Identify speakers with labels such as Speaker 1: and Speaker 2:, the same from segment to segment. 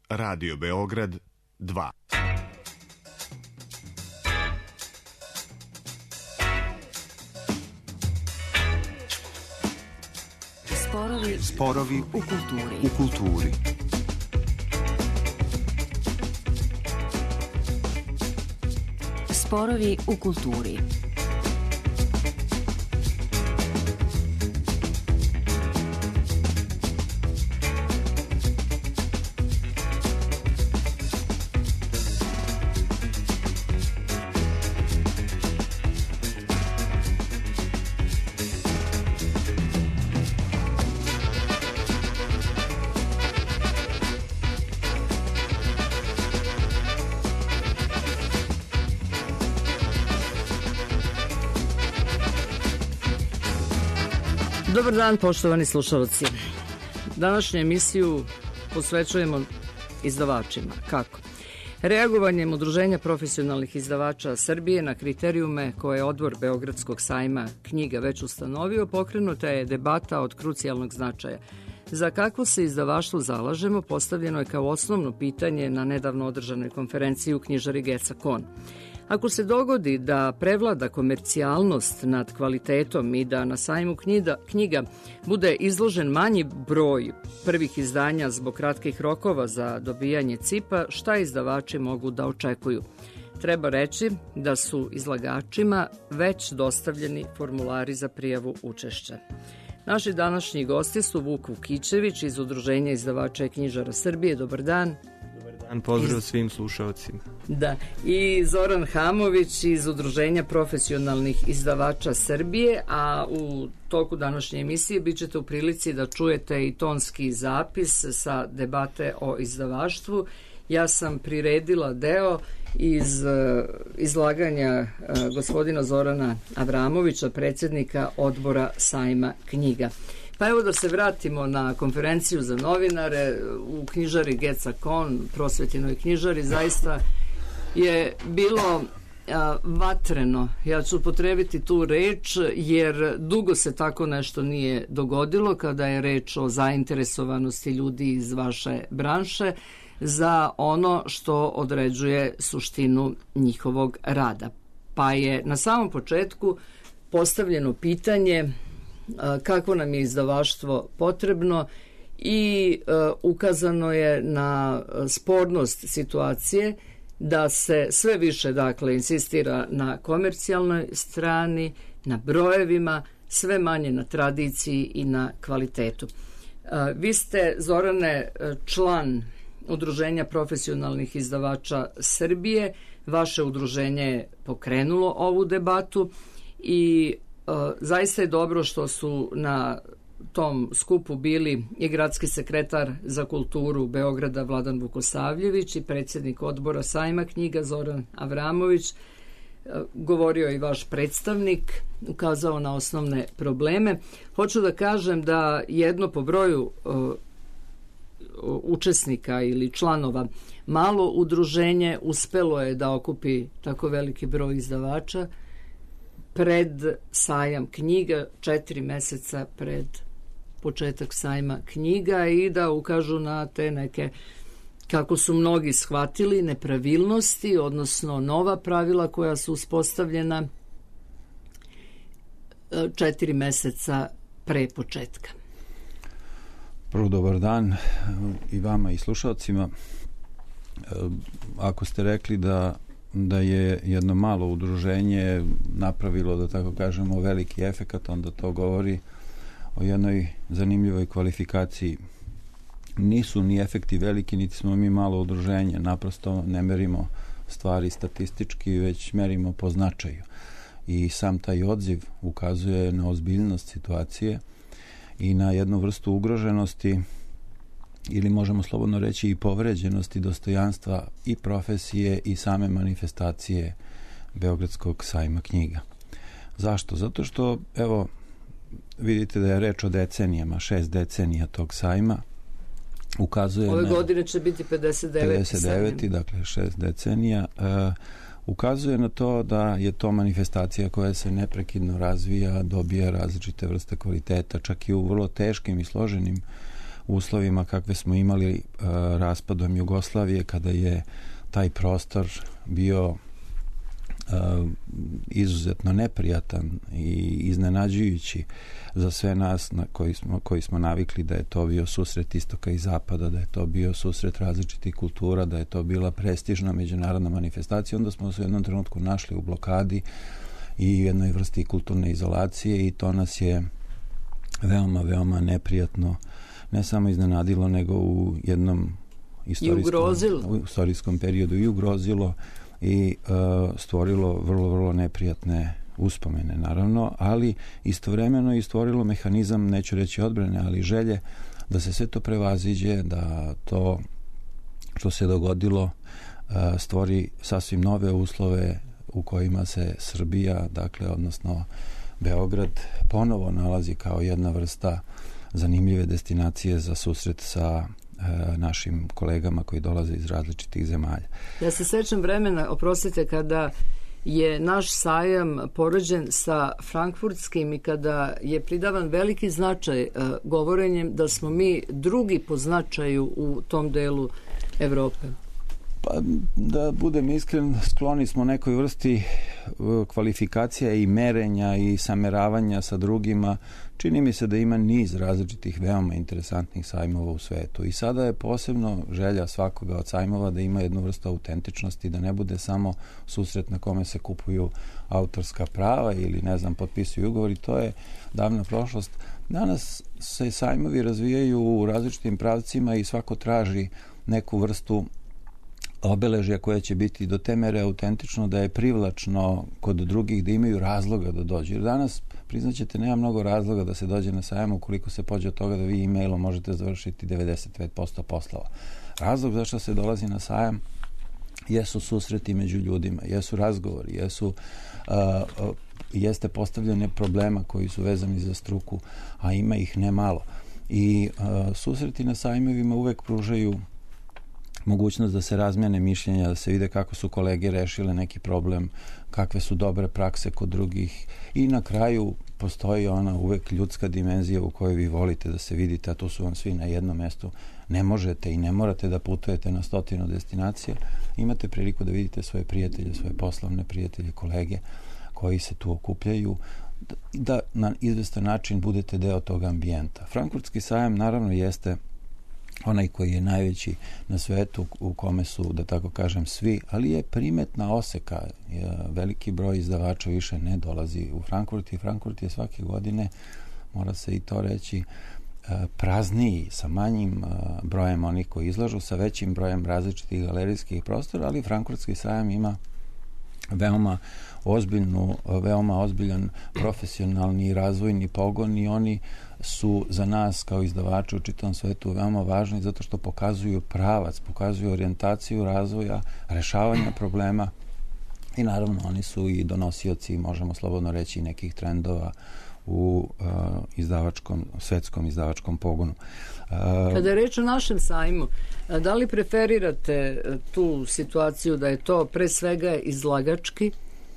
Speaker 1: Radio Beograd 2.
Speaker 2: Sporovi u kulturi.
Speaker 3: Sporovi u kulturi. Dobar dan, poštovani slušalci. Današnju emisiju posvećujemo izdavačima. Kako? Reagovanjem Udruženja profesionalnih izdavača Srbije na kriterijume koje je Odbor Beogradskog sajma knjiga već ustanovio, pokrenuta je debata od krucijalnog značaja. Za kakvo se izdavaštvo zalažemo postavljeno je kao osnovno pitanje na nedavno održanoj konferenciji u knjižari Geca Kon. Ako se dogodi da prevlada komercijalnost nad kvalitetom i da na sajmu knjiga bude izložen manji broj prvih izdanja zbog kratkih rokova za dobijanje CIP-a, šta izdavači mogu da očekuju? Treba reći da su izlagačima već dostavljeni formulari za prijavu učešća. Naši današnji gosti su Vuk Vukićević iz Udruženja izdavača i knjižara Srbije. Dobar dan.
Speaker 4: Pozdrav svim slušalcima.
Speaker 3: Da, i Zoran Hamović iz Udruženja profesionalnih izdavača Srbije, a u toku današnje emisije bit ćete u prilici da čujete i tonski zapis sa debate o izdavaštvu. Ja sam priredila deo iz izlaganja gospodina Zorana Avramovića, predsjednika Odbora sajma knjiga. Pa evo da se vratimo na konferenciju za novinare u knjižari Geca Kon, prosvetinoj knjižari. Zaista je bilo vatreno, ja ću upotrebiti tu reč, jer dugo se tako nešto nije dogodilo kada je reč o zainteresovanosti ljudi iz vaše branše za ono što određuje suštinu njihovog rada. Pa je na samom početku postavljeno pitanje kakvo nam je izdavaštvo potrebno i ukazano je na spornost situacije da se sve više insistira na komercijalnoj strani, na brojevima, sve manje na tradiciji i na kvalitetu. Vi ste, Zorane, član Udruženja profesionalnih izdavača Srbije. Vaše udruženje je pokrenulo ovu debatu i zaista je dobro što su na tom skupu bili i gradski sekretar za kulturu Beograda Vladan Vukosavljević i predsjednik Odbora sajma knjiga Zoran Avramović. Govorio i vaš predstavnik, ukazao na osnovne probleme. Hoću da kažem da jedno po broju učesnika ili članova malo udruženje uspelo je da okupi tako veliki broj izdavača pred sajam knjiga, 4 meseca pred početak sajma knjiga, i da ukažu na te neke, kako su mnogi shvatili, nepravilnosti, odnosno nova pravila koja su uspostavljena 4 meseca pre početka.
Speaker 5: Prvo, dobar dan i vama i slušalcima. Ako ste rekli da je jedno malo udruženje napravilo, da tako kažemo, veliki efekat, onda to govori o jednoj zanimljivoj kvalifikaciji. Nisu ni efekti veliki, niti smo mi malo udruženje, naprosto ne merimo stvari statistički, već merimo po značaju. I sam taj odziv ukazuje na ozbiljnost situacije i na jednu vrstu ugroženosti, ili možemo slobodno reći i povređenosti dostojanstva i profesije i same manifestacije Beogradskog sajma knjiga. Zašto? Zato što, evo, vidite da je reč o decenijama, 6 decenija tog sajma. Ukazuje
Speaker 3: ove godine će biti 59.
Speaker 5: Dakle 6 decenija. Ukazuje na to da je to manifestacija koja se neprekidno razvija, dobija različite vrste kvaliteta, čak i u vrlo teškim i složenim uslovima kakve smo imali raspadom Jugoslavije, kada je taj prostor bio izuzetno neprijatan i iznenađujući za sve nas koji smo navikli da je to bio susret istoka i zapada, da je to bio susret različitih kultura, da je to bila prestižna međunarodna manifestacija. Onda smo se u jednom trenutku našli u blokadi i jednoj vrsti kulturne izolacije i to nas je veoma, veoma neprijatno ne samo iznenadilo, nego u jednom istorijskom periodu i ugrozilo i stvorilo vrlo, vrlo neprijatne uspomene, naravno, ali istovremeno i stvorilo mehanizam, neću reći odbrane, ali želje da se sve to prevaziđe, da to što se dogodilo stvori sasvim nove uslove u kojima se Srbija, dakle, odnosno Beograd, ponovo nalazi kao jedna vrsta zanimljive destinacije za susret sa našim kolegama koji dolaze iz različitih zemalja.
Speaker 3: Ja se sećam vremena, oprostite, kada je naš sajam poređen sa frankfurtskim i kada je pridavan veliki značaj govorenjem da smo mi drugi po značaju u tom delu Evrope.
Speaker 5: Pa, da budem iskren, skloni smo nekoj vrsti kvalifikacija i merenja i sameravanja sa drugima. Čini mi se da ima niz različitih veoma interesantnih sajmova u svetu i sada je posebno želja svakoga od sajmova da ima jednu vrstu autentičnosti, da ne bude samo susret na kome se kupuju autorska prava ili, ne znam, potpisuju ugovori. To je davna prošlost. Danas se sajmovi razvijaju u različitim pravcima i svako traži neku vrstu obeležja koje će biti do te mere autentično da je privlačno kod drugih, da imaju razloga da dođu. Jer danas, priznaćete, nema mnogo razloga da se dođe na sajam ukoliko se pođe od toga da vi e-mailom možete završiti 95% poslova. Razlog zašto se dolazi na sajam jesu susreti među ljudima, jesu razgovori, jeste postavljanje problema koji su vezani za struku, a ima ih ne malo. I susreti na sajmovima uvek pružaju mogućnost da se razmene mišljenja, da se vide kako su kolege rešile neki problem, kakve su dobre prakse kod drugih i na kraju postoji ona uvek ljudska dimenzija u kojoj vi volite da se vidite, a tu su vam svi na jednom mestu. Ne možete i ne morate da putujete na 100 destinacija. Imate priliku da vidite svoje prijatelje, svoje poslovne prijatelje, kolege koji se tu okupljaju, da na izvestan način budete deo tog ambijenta. Frankfurtski sajam naravno jeste onaj koji je najveći na svetu, u kome su, da tako kažem, svi, ali je primetna oseka. Veliki broj izdavača više ne dolazi u Frankfurt i Frankfurt je svake godine, mora se i to reći, prazniji, sa manjim brojem onih koji izlažu, sa većim brojem različitih galerijskih prostora, ali Frankfurtski sajam ima veoma ozbiljan profesionalni i razvojni pogon i oni su za nas kao izdavači u čitavom svetu veoma važni zato što pokazuju pravac, pokazuju orijentaciju razvoja, rešavanja problema i naravno oni su i donosioci, možemo slobodno reći, nekih trendova u svetskom izdavačkom pogonu.
Speaker 3: Kada je reč o našem sajmu, da li preferirate tu situaciju da je to pre svega izlagački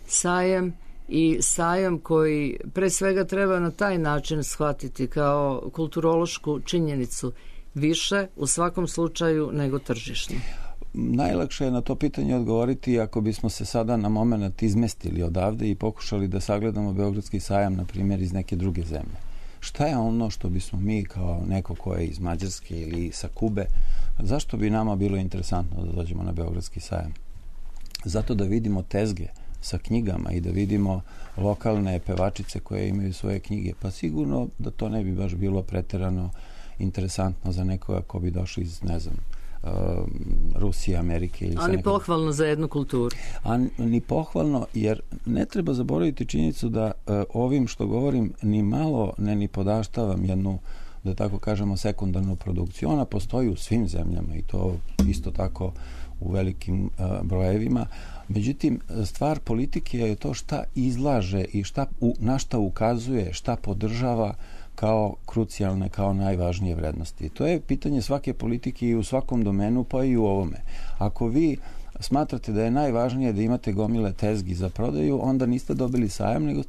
Speaker 3: sajam i sajam koji pre svega treba na taj način shvatiti kao kulturološku činjenicu više u svakom slučaju nego tržišno?
Speaker 5: Najlakše je na to pitanje odgovoriti ako bismo se sada na moment izmestili odavde i pokušali da sagledamo Beogradski sajam, na primjer, iz neke druge zemlje. Šta je ono što bismo mi kao neko ko je iz Mađarske ili sa Kube, zašto bi nama bilo interesantno da dođemo na Beogradski sajam? Zato da vidimo tezge sa knjigama i da vidimo lokalne pevačice koje imaju svoje knjige. Pa sigurno da to ne bi baš bilo preterano interesantno za nekoga ko bi došao iz, ne znam, Rusije, Amerike. Ili
Speaker 3: ni pohvalno za jednu kulturu.
Speaker 5: Ni pohvalno, jer ne treba zaboraviti činjenicu da ovim što govorim ni malo ni podaštavam jednu, da tako kažemo, sekundarnu produkciju. Ona postoji u svim zemljama i to isto tako u velikim brojevima. Međutim, stvar politike je to šta izlaže i na šta ukazuje, šta podržava kao krucijalne, kao najvažnije vrednosti. To je pitanje svake politike i u svakom domenu, pa i u ovome. Ako vi smatrate da je najvažnije da imate gomile tezgi za prodaju, onda niste dobili sajam, nego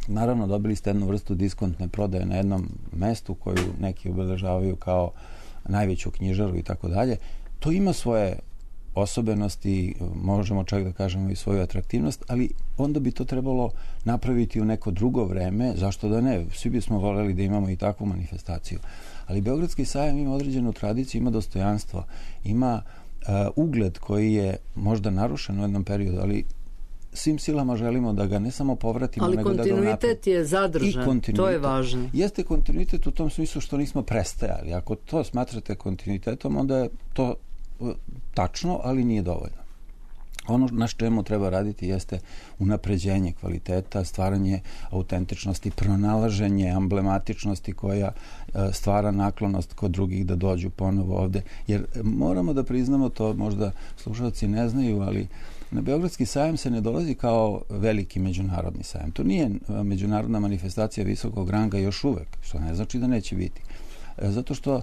Speaker 5: naravno dobili ste jednu vrstu diskontne prodaje na jednom mestu koju neki obeležavaju kao najveću knjižaru i tako dalje. To ima svoje osobenosti, možemo čak da kažemo i svoju atraktivnost, ali onda bi to trebalo napraviti u neko drugo vreme, zašto da ne? Svi bismo voljeli da imamo i takvu manifestaciju. Ali Beogradski sajam ima određenu tradiciju, ima dostojanstvo, ima ugled koji je možda narušen u jednom periodu, ali svim silama želimo da ga ne samo povratimo,
Speaker 3: ali
Speaker 5: nego da ga
Speaker 3: kontinuitet je zadržan, to je važno.
Speaker 5: Jeste kontinuitet u tom smislu što nismo prestajali. Ako to smatrate kontinuitetom, onda je to tačno, ali nije dovoljno. Ono na čemu treba raditi jeste unapređenje kvaliteta, stvaranje autentičnosti, pronalaženje emblematičnosti koja stvara naklonost kod drugih da dođu ponovo ovde. Jer moramo da priznamo, to možda slušalci ne znaju, ali na Beogradski sajam se ne dolazi kao veliki međunarodni sajam. To nije međunarodna manifestacija visokog ranga još uvek, što ne znači da neće biti. Zato što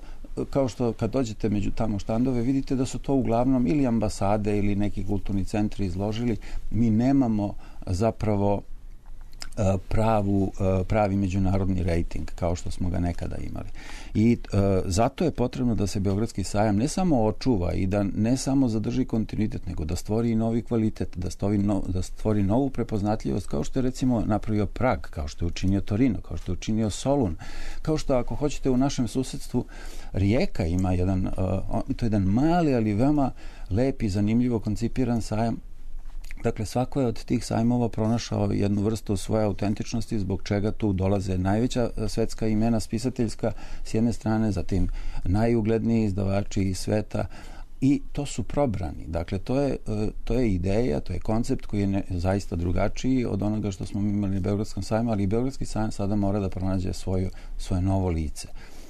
Speaker 5: kao što kad dođete među tamo štandove, vidite da su to uglavnom ili ambasade ili neki kulturni centri izložili. Mi nemamo zapravo pravi međunarodni rating kao što smo ga nekada imali. I zato je potrebno da se Beogradski sajam ne samo očuva i da ne samo zadrži kontinuitet, nego da stvori i novi kvalitet, da stvori novu prepoznatljivost, kao što je recimo napravio Prag, kao što je učinio Torino, kao što je učinio Solun, kao što ako hoćete u našem susedstvu Rijeka ima to je jedan mali, ali veoma lep i zanimljivo koncipiran sajam. Dakle, svako je od tih sajmova pronašao jednu vrstu svoje autentičnosti, zbog čega tu dolaze najveća svetska imena spisateljska s jedne strane, zatim najugledniji izdavači iz sveta, i to su probrani. Dakle, to je ideja, to je koncept koji je zaista drugačiji od onoga što smo imali na Beogradskom sajmu, ali Beogradski sajam sada mora da pronađe svoje novo lice.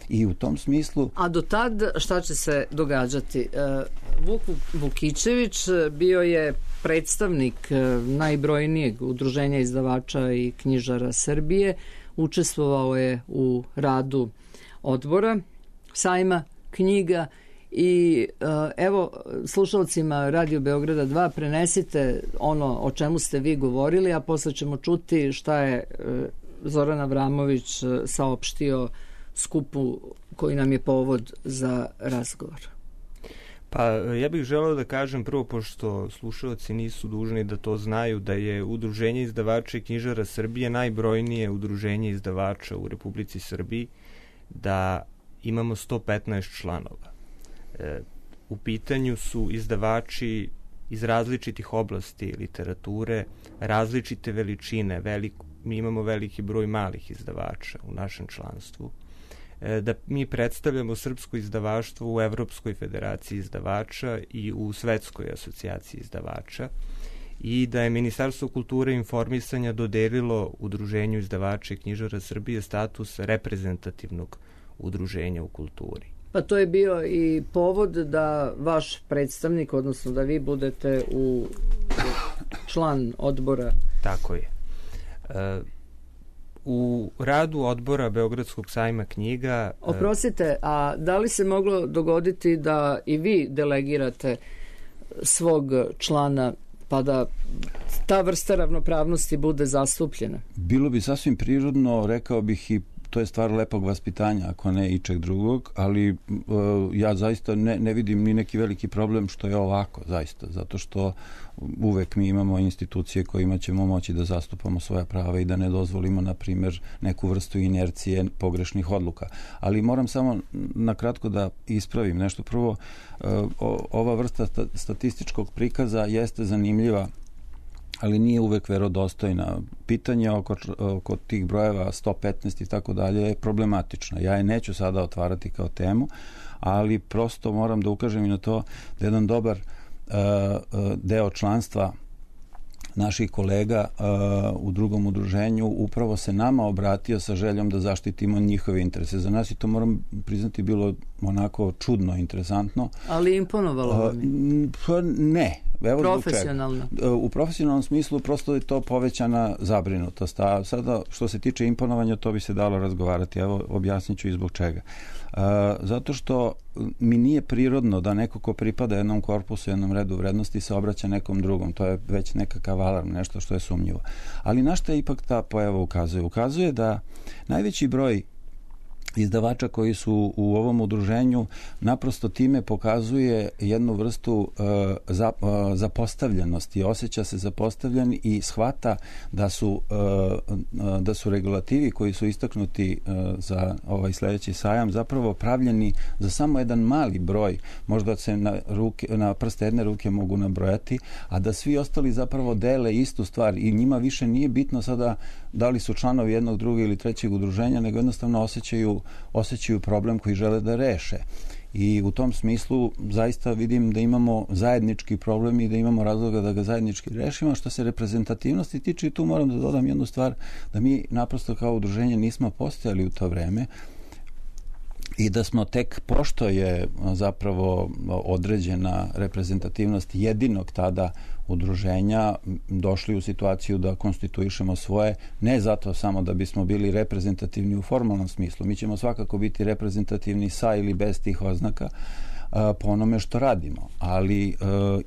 Speaker 5: I u tom smislu... A
Speaker 3: do tad šta će se događati? Vuk Vukićević bio je predstavnik najbrojnijeg udruženja izdavača i knjižara Srbije. Učestvovao je u radu odbora sajma knjiga i evo, slušalcima Radio Beograda 2 prenesite ono o čemu ste vi govorili, a posle ćemo čuti šta je Zoran Avramović saopštio skupu koji nam je povod za razgovor.
Speaker 4: Pa ja bih želeo da kažem prvo, pošto slušalci nisu dužni da to znaju, da je Udruženje izdavača i knjižara Srbije najbrojnije udruženje izdavača u Republici Srbiji, da imamo 115 članova. U pitanju su izdavači iz različitih oblasti literature, različite veličine, mi imamo veliki broj malih izdavača u našem članstvu, da mi predstavljamo srpsko izdavaštvo u Evropskoj federaciji izdavača i u Svetskoj asocijaciji izdavača i da je Ministarstvo kulture i informisanja dodelilo Udruženju izdavača i knjižara Srbije status reprezentativnog udruženja u kulturi.
Speaker 3: Pa to je bio i povod da vaš predstavnik, odnosno da vi budete član odbora.
Speaker 4: Tako je. U radu odbora Beogradskog sajma knjiga...
Speaker 3: Oprostite, a da li se moglo dogoditi da i vi delegirate svog člana pa da ta vrsta ravnopravnosti bude zastupljena?
Speaker 5: Bilo bi sasvim prirodno, rekao bih, i to je stvar lepog vaspitanja, ako ne ičeg drugog, ali ja zaista ne vidim ni neki veliki problem što je ovako, zaista, zato što uvek mi imamo institucije kojima ćemo moći da zastupamo svoja prava i da ne dozvolimo, na primjer, neku vrstu inercije pogrešnih odluka. Ali moram samo nakratko da ispravim nešto. Prvo, ova vrsta statističkog prikaza jeste zanimljiva, ali nije uvek verodostojna. Pitanje oko tih brojeva 115 i tako dalje je problematično. Ja je neću sada otvarati kao temu, ali prosto moram da ukažem i na to da jedan dobar deo članstva naših kolega u drugom udruženju upravo se nama obratio sa željom da zaštitimo njihove interese. Za nas i to moram priznati bilo onako čudno, interesantno.
Speaker 3: Ali imponovalo vam je?
Speaker 5: Ne. Evo
Speaker 3: profesionalno?
Speaker 5: U profesionalnom smislu prosto je to povećana zabrinutost. A sada što se tiče imponovanja, to bi se dalo razgovarati. Evo objasnit ću i zbog čega. Zato što mi nije prirodno da neko ko pripada jednom korpusu, jednom redu vrednosti se obraća nekom drugom. To je već nekakav alarm, nešto što je sumnjivo. Ali na što je ipak ta pojava ukazuje? Ukazuje da najveći broj izdavača koji su u ovom udruženju naprosto time pokazuje jednu vrstu zapostavljenosti. Osjeća se zapostavljen i shvata da su regulativi koji su istaknuti za ovaj sledeći sajam zapravo pravljeni za samo jedan mali broj, možda se na prste jedne ruke mogu nabrojati, a da svi ostali zapravo dele istu stvar i njima više nije bitno sada da li su članovi jednog, drugog ili trećeg udruženja, nego jednostavno osjećaju problem koji žele da reše. I u tom smislu zaista vidim da imamo zajednički problem i da imamo razloga da ga zajednički rešimo. Što se reprezentativnosti tiče, i tu moram da dodam jednu stvar, da mi naprosto kao udruženje nismo postojali u to vreme i da smo tek, pošto je zapravo određena reprezentativnost jedinog tada udruženja, došli u situaciju da konstituišemo svoje, ne zato samo da bismo bili reprezentativni u formalnom smislu. Mi ćemo svakako biti reprezentativni sa ili bez tih oznaka po onome što radimo, ali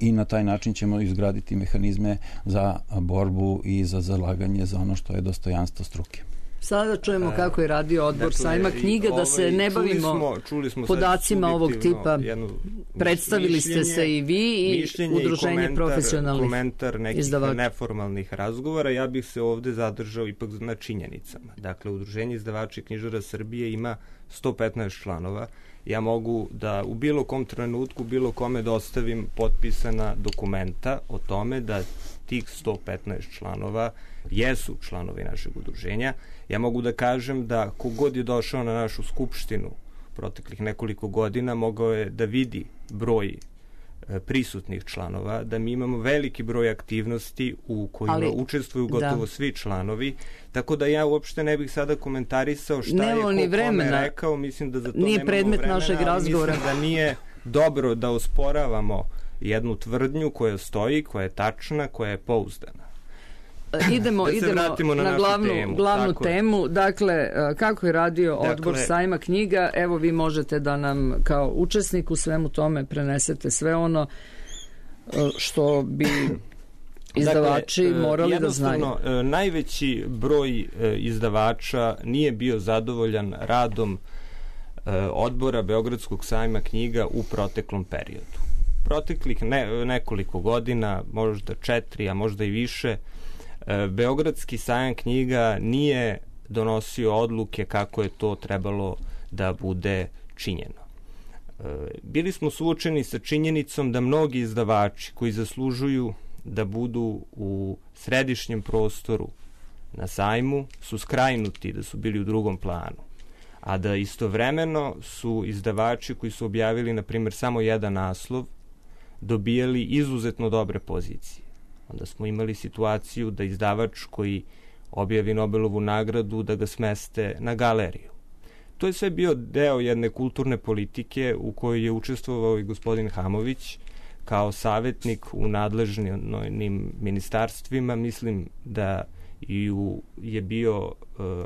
Speaker 5: i na taj način ćemo izgraditi mehanizme za borbu i za zalaganje za ono što je dostojanstvo struke.
Speaker 3: Sada čujemo kako je radio odbor sajma knjiga, da se ne bavimo podacima ovog tipa. Predstavili ste se i vi i udruženje profesionalnih
Speaker 4: komentar nekih neformalnih razgovora. Ja bih se ovde zadržao ipak na činjenicama. Dakle, udruženje izdavača i knjižara Srbije ima 115 članova. Ja mogu da u bilo kom trenutku, bilo kome dostavim potpisana dokumenta o tome da tih 115 članova jesu članovi našeg udruženja. Ja mogu da kažem da kogod je došao na našu skupštinu proteklih nekoliko godina mogao je da vidi broj prisutnih članova, da mi imamo veliki broj aktivnosti u kojima učestvuju gotovo svi članovi, tako da ja uopšte ne bih sada komentarisao šta je kome rekao, mislim da za to
Speaker 3: nije predmet našeg razgovora.
Speaker 4: Mislim da nije dobro da osporavamo jednu tvrdnju koja stoji, koja je tačna, koja je pouzdana.
Speaker 3: Idemo na glavnu temu. Dakle, kako je radio odbor sajma knjiga, evo vi možete da nam kao učesnik u svemu tome prenesete sve ono što bi izdavači morali da znaju.
Speaker 4: Jednostavno, najveći broj izdavača nije bio zadovoljan radom odbora Beogradskog sajma knjiga u proteklom periodu. Proteklih nekoliko godina, možda 4, a možda i više, Beogradski sajam knjiga nije donosio odluke kako je to trebalo da bude činjeno. Bili smo suočeni sa činjenicom da mnogi izdavači koji zaslužuju da budu u središnjem prostoru na sajmu su skrajnuti, da su bili u drugom planu, a da istovremeno su izdavači koji su objavili, na primjer, samo jedan naslov dobijali izuzetno dobre pozicije. Onda smo imali situaciju da izdavač koji objavi Nobelovu nagradu da ga smeste na galeriju. To je sve bio deo jedne kulturne politike u kojoj je učestvovao i gospodin Hamović kao savjetnik u nadležnim ministarstvima. Mislim da je bio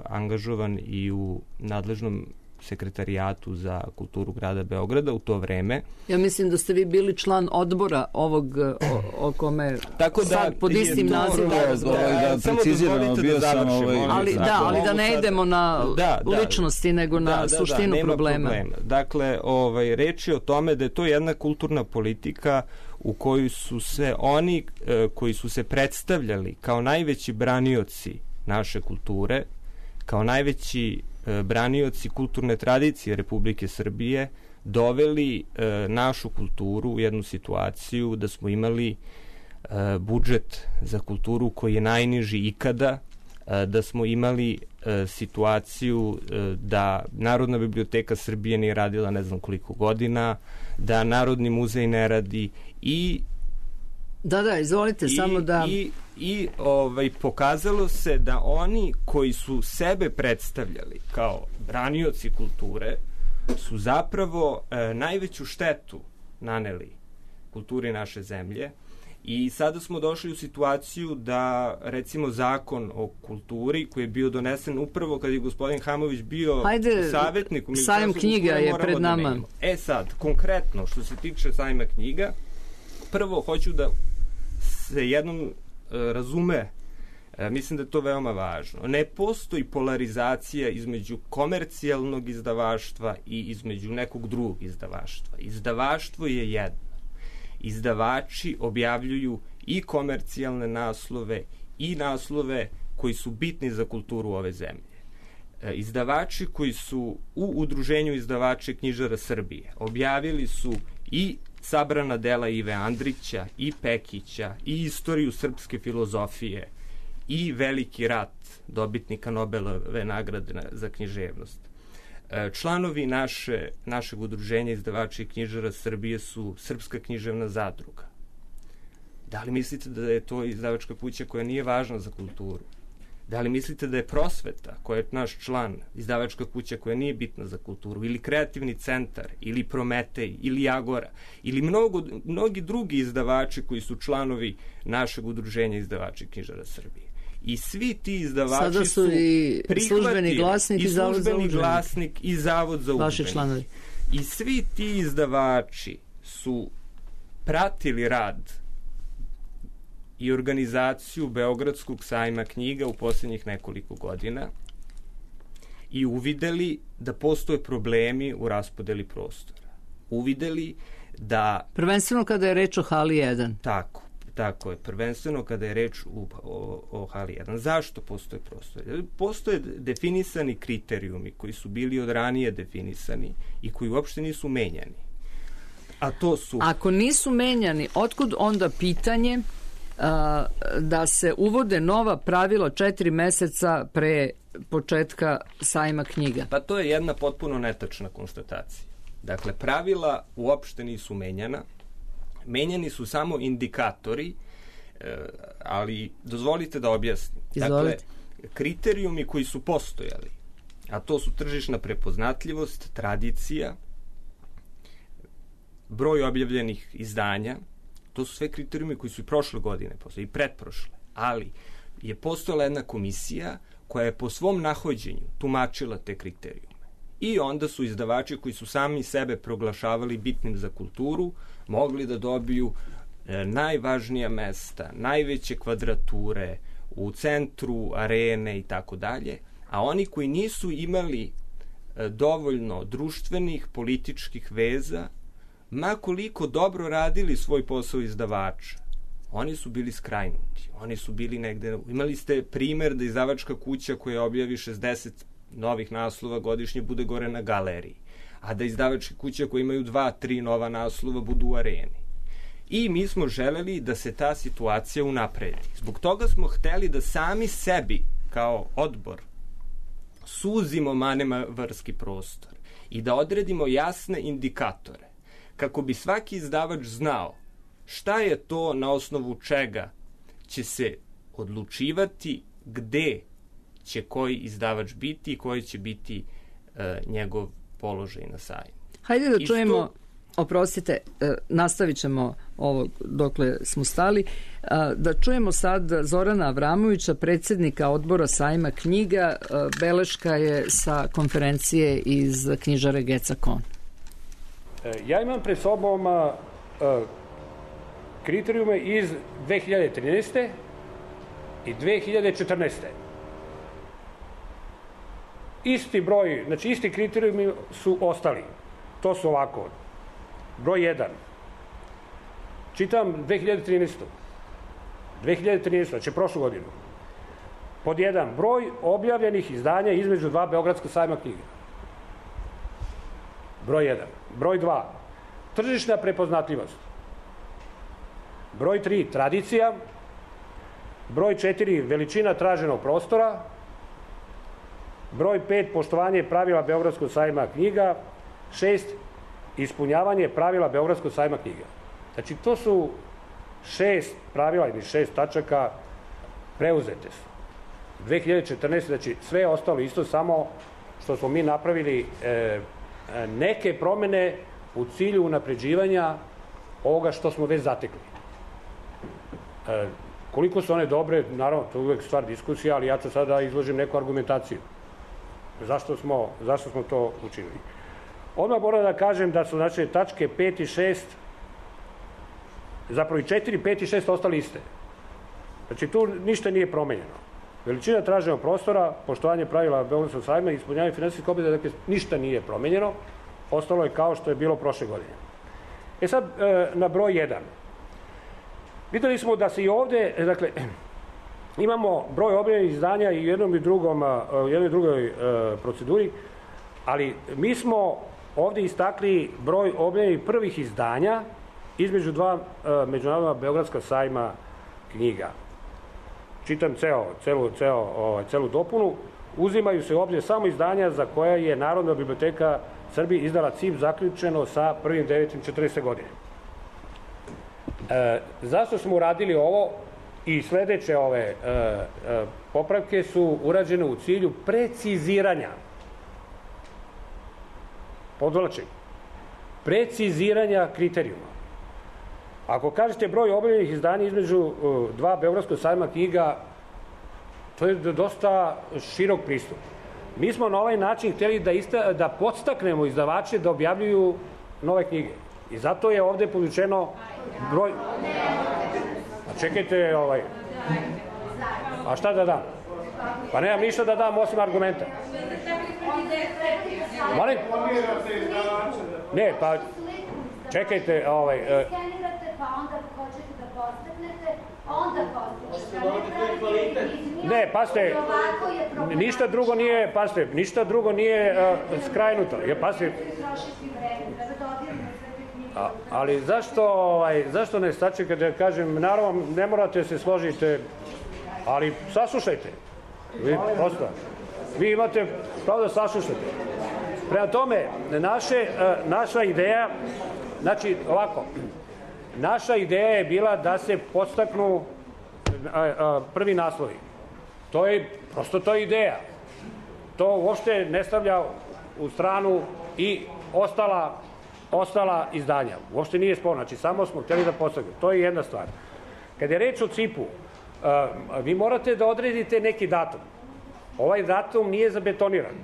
Speaker 4: angažovan i u nadležnom sekretarijatu za kulturu grada Beograda u to vreme.
Speaker 3: Ja mislim da ste vi bili član odbora ovog o kome sad pod istim nazivom.
Speaker 5: Samo dozvolite da završimo.
Speaker 3: Ali da ne idemo na ličnosti, nego na suštinu problema.
Speaker 4: Dakle, reč je o tome da je to jedna kulturna politika u kojoj su se oni koji su se predstavljali kao najveći branioci naše kulture, kao najveći branioci kulturne tradicije Republike Srbije, doveli našu kulturu u jednu situaciju da smo imali budžet za kulturu koji je najniži ikada, da smo imali situaciju da Narodna biblioteka Srbije nije radila ne znam koliko godina, da Narodni muzej ne radi i
Speaker 3: izvolite, samo da...
Speaker 4: I pokazalo se da oni koji su sebe predstavljali kao branioci kulture su zapravo najveću štetu naneli kulturi naše zemlje I sada smo došli u situaciju da, recimo, zakon o kulturi, koji je bio donesen upravo kad je gospodin Hamović bio savjetnik u
Speaker 3: sajam knjiga je pred nama.
Speaker 4: Sad, konkretno, što se tiče sajma knjiga, prvo hoću da se jednom razume, mislim da je to veoma važno. Ne postoji polarizacija između komercijalnog izdavaštva i između nekog drugog izdavaštva. Izdavaštvo je jedno. Izdavači objavljuju i komercijalne naslove i naslove koji su bitni za kulturu ove zemlje. Izdavači koji su u Udruženju izdavača i knjižara Srbije objavili su i sabrana dela Ive Andrića, i Pekića, i istoriju srpske filozofije, i Veliki rat dobitnika Nobelove nagrade za književnost. Članovi našeg Udruženja izdavača i knjižara Srbije su Srpska književna zadruga. Da li mislite da je to izdavačka kuća koja nije važna za kulturu? Da li mislite da je Prosveta, koja je naš član, izdavačka kuća koja nije bitna za kulturu, ili Kreativni centar, ili Prometej, ili Agora, ili mnogi drugi izdavači koji su članovi našeg Udruženja izdavača i knjižara Srbije? I svi ti izdavači
Speaker 3: sada su i službeni glasnik
Speaker 4: i Zavod za udžbenike. I svi ti izdavači su pratili rad i organizaciju Beogradskog sajma knjiga u posljednjih nekoliko godina i uvideli da postoje problemi u raspodeli prostora. Uvideli da...
Speaker 3: Prvenstveno kada je reč o hali 1.
Speaker 4: Tako je, prvenstveno kada je reč o hali 1. Zašto postoje prostor? Postoje definisani kriterijumi koji su bili od ranije definisani i koji uopšte nisu menjani. A to su...
Speaker 3: Ako nisu menjani, otkud onda pitanje da se uvode nova pravila 4 meseca pre početka sajma knjiga?
Speaker 4: Pa to je jedna potpuno netačna konstatacija. Dakle, pravila uopšte nisu menjana. Menjani su samo indikatori, ali dozvolite da objasnim.
Speaker 3: Izvolite.
Speaker 4: Dakle, kriterijumi koji su postojali, a to su tržišna prepoznatljivost, tradicija, broj objavljenih izdanja, to su sve kriterijumi koji su i prošle godine postojali, i pretprošle, ali je postojala jedna komisija koja je po svom nahođenju tumačila te kriterijume. I onda su izdavači koji su sami sebe proglašavali bitnim za kulturu mogli da dobiju najvažnija mesta, najveće kvadrature u centru, arene i tako dalje, a oni koji nisu imali dovoljno društvenih, političkih veza, ma koliko dobro radili svoj posao izdavača, oni su bili skrajnuti. Oni su bili negde... Imali ste primer da izdavačka kuća koja objavi 60 novih naslova godišnje bude gore na galeriji, a da izdavačke kuće koje imaju 2-3 nova naslova budu u areni. I mi smo želeli da se ta situacija unapredi. Zbog toga smo hteli da sami sebi, kao odbor, suzimo manevarski prostor i da odredimo jasne indikatore, kako bi svaki izdavač znao šta je to na osnovu čega će se odlučivati gde će koji izdavač biti i koji će biti njegov položaj na sajmu.
Speaker 3: Hajde da čujemo, oprostite, nastavit ćemo ovo dokle smo stali, da čujemo sad Zorana Avramovića, predsjednika odbora sajma knjiga. Beleška je sa konferencije iz knjižare Geca Kon.
Speaker 6: Ja imam pred sobom kriterijume iz 2013. i 2014. Isti broj, znači isti kriterijumi su ostali. To su ovako. Broj 1. Čitam 2013. 2013, znači prošlu godinu. Pod 1. Broj objavljenih izdanja između 2 Beogradska sajma knjiga. Broj 1. Broj 2. Tržišna prepoznatljivost. Broj 3. Tradicija. Broj 4. Veličina traženog prostora. Broj 5. Poštovanje pravila Beogradskog sajma knjiga. 6. Ispunjavanje pravila Beogradskog sajma knjiga. Znači, to su 6 pravila ili 6 tačaka preuzete su. 2014. Znači, sve je ostalo isto, samo što smo mi napravili neke promene u cilju unapređivanja ovoga što smo već zatekli. Koliko su one dobre, naravno, to je uvek stvar diskusija, ali ja ću sada izložim neku argumentaciju. Zašto smo to učinili? Odmah moram da kažem da su znači tačke 5 i 6, zapravo i 4, 5 i 6 ostali iste. Znači tu ništa nije promenjeno. Veličina traženog prostora, poštovanje pravila Beogradskog sajma i ispunjavanje finansijskih obaveza, dakle ništa nije promenjeno, ostalo je kao što je bilo prošle godine. Sad, na broj 1. Videli smo da se i ovde, dakle, imamo broj objavljenih izdanja i u jednoj i drugoj proceduri, ali mi smo ovde istakli broj objavljenih prvih izdanja između dva međunarodna Beogradska sajma knjiga. Čitam celu dopunu. Uzimaju se u obzir samo izdanja za koja je Narodna biblioteka Srbije izdala CIP zaključeno sa 1.9.40. godine. Zašto smo uradili ovo i sledeće ove popravke su urađene u cilju preciziranja, podvlačim, preciziranja kriterijuma. Ako kažete broj objavljenih izdanja između dva Beogradskog sajma knjiga, to je dosta širok pristup. Mi smo na ovaj način hteli da podstaknemo izdavače da objavljuju nove knjige. I zato je ovde povučeno broj... A čekajte, a šta da dam? Pa nemam ništa da dam osim argumenta. Molim? Ne, pa čekajte,
Speaker 7: pa onda hoćete da podstaknete, onda postičete.
Speaker 6: Ne, pasite, ništa drugo nije skrajnuto. Pasite, ali zašto ne sačekate da kažem, naravno ne morate se složiti, ali saslušajte. Vi imate pravo da saslušate. Prema tome, naša ideja, znači ovako, naša ideja je bila da se podstaknu prvi naslovi. To je ideja. To uopšte ne stavlja u stranu i ostala izdanja. Uopšte nije sporno. Znači, samo smo hteli da podstaknu. To je jedna stvar. Kad je reč o CIP-u, vi morate da odredite neki datum. Ovaj datum nije zabetoniran.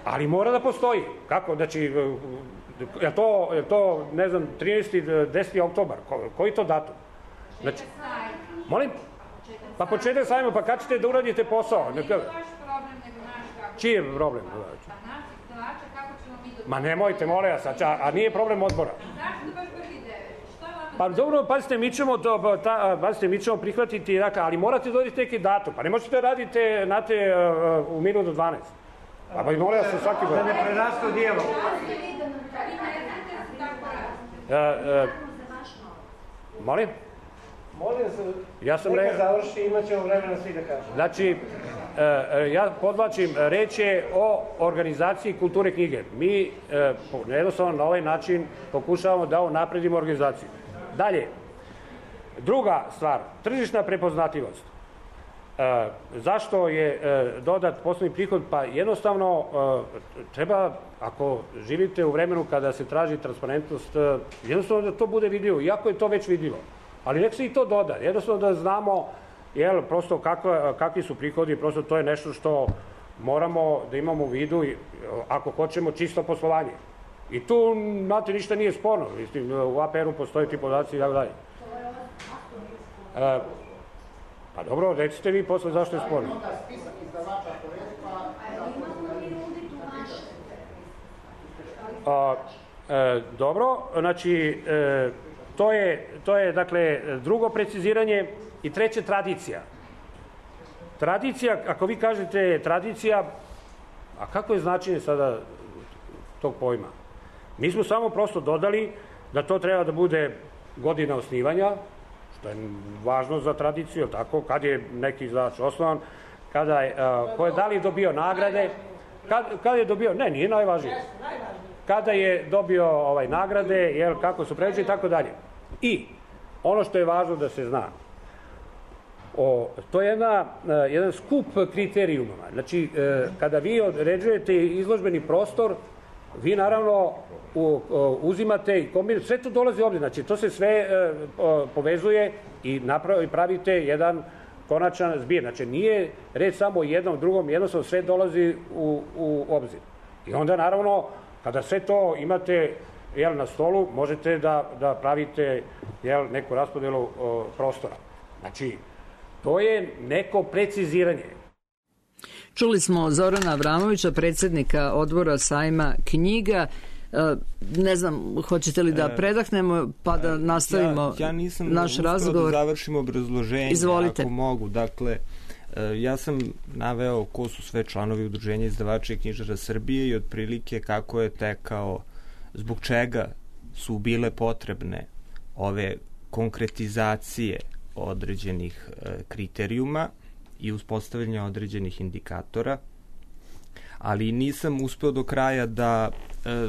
Speaker 6: Ali mora da postoji. Kako? Znači, je to, ne znam, 13. 10. oktobar? Koji to datum? Znači, molim? Pa početak sajma, pa kad ćete da uradite posao?
Speaker 8: Nije to vaš problem, nego naš kako.
Speaker 6: Čiji je problem?
Speaker 8: Pa naš izdavača, kako ćemo mi dobiti?
Speaker 6: Ma nemojte, molim vas, a nije problem odbora.
Speaker 8: Zašto baš prvi 9? Šta vam...
Speaker 6: Pa dobro, pazite, mi ćemo prihvatiti, ali morate dodati neki datum. Pa ne možete da radite, znate, u minut do 12. Pa molim vas, svaki god.
Speaker 9: Da ne prerastu dijelo.
Speaker 6: Molim?
Speaker 9: Molim se,
Speaker 6: neka
Speaker 9: završi, imat ćemo vremena svi da kažemo.
Speaker 6: Znači, ja podvlačim, reč je o organizaciji kulture knjige. Mi jednostavno na ovaj način pokušavamo da napredimo organizaciju. Dalje, druga stvar, tržišna prepoznatljivost. Zašto je dodat poslovni prihod? Pa jednostavno treba, ako živite u vremenu kada se traži transparentnost, jednostavno da to bude vidljivo, iako je to već vidljivo. Ali nek se i to doda, jednostavno da znamo prosto kakvi su prihodi, prosto to je nešto što moramo da imamo u vidu ako hoćemo čisto poslovanje. I tu, znate, ništa nije sporno, u APR-u postoje ti podaci i tako dalje. Pa dobro, recite vi posle zašto je sporno. Dobro, znači, to je, dakle, drugo preciziranje i treće, tradicija. Tradicija, ako vi kažete tradicija, a kako je značenje sada tog pojma? Mi smo samo prosto dodali da to treba da bude godina osnivanja, što je važno za tradiciju, tako, kad je neki izdavač osnovan, ko je da li dobio nagrade, kad je dobio, ne, nije najvažnije, kada je dobio nagrade, kako su pređeni i tako dalje. I ono što je važno da se zna, to je jedan skup kriterijuma. Znači, kada vi određujete izložbeni prostor, vi naravno uzimate i kombinujete, sve to dolazi u obzir, znači to se sve povezuje i pravite jedan konačan zbir. Znači nije reč samo o jednom, drugom, jednostavno sve dolazi u obzir. I onda naravno, kada sve to imate na stolu, možete da pravite neku raspodelu prostora. Znači, to je neko preciziranje.
Speaker 3: Čuli smo Zorana Avramovića, predsjednika odbora sajma knjiga. Ne znam, hoćete li da predahnemo pa da nastavimo naš razgovor?
Speaker 4: Da završimo obrazloženje,
Speaker 3: izvolite.
Speaker 4: Ako mogu. Dakle, ja sam naveo ko su sve članovi Udruženja izdavača i knjižara Srbije i otprilike kako je tekao, zbog čega su bile potrebne ove konkretizacije određenih kriterijuma i uspostavljanja određenih indikatora, ali nisam uspeo do kraja da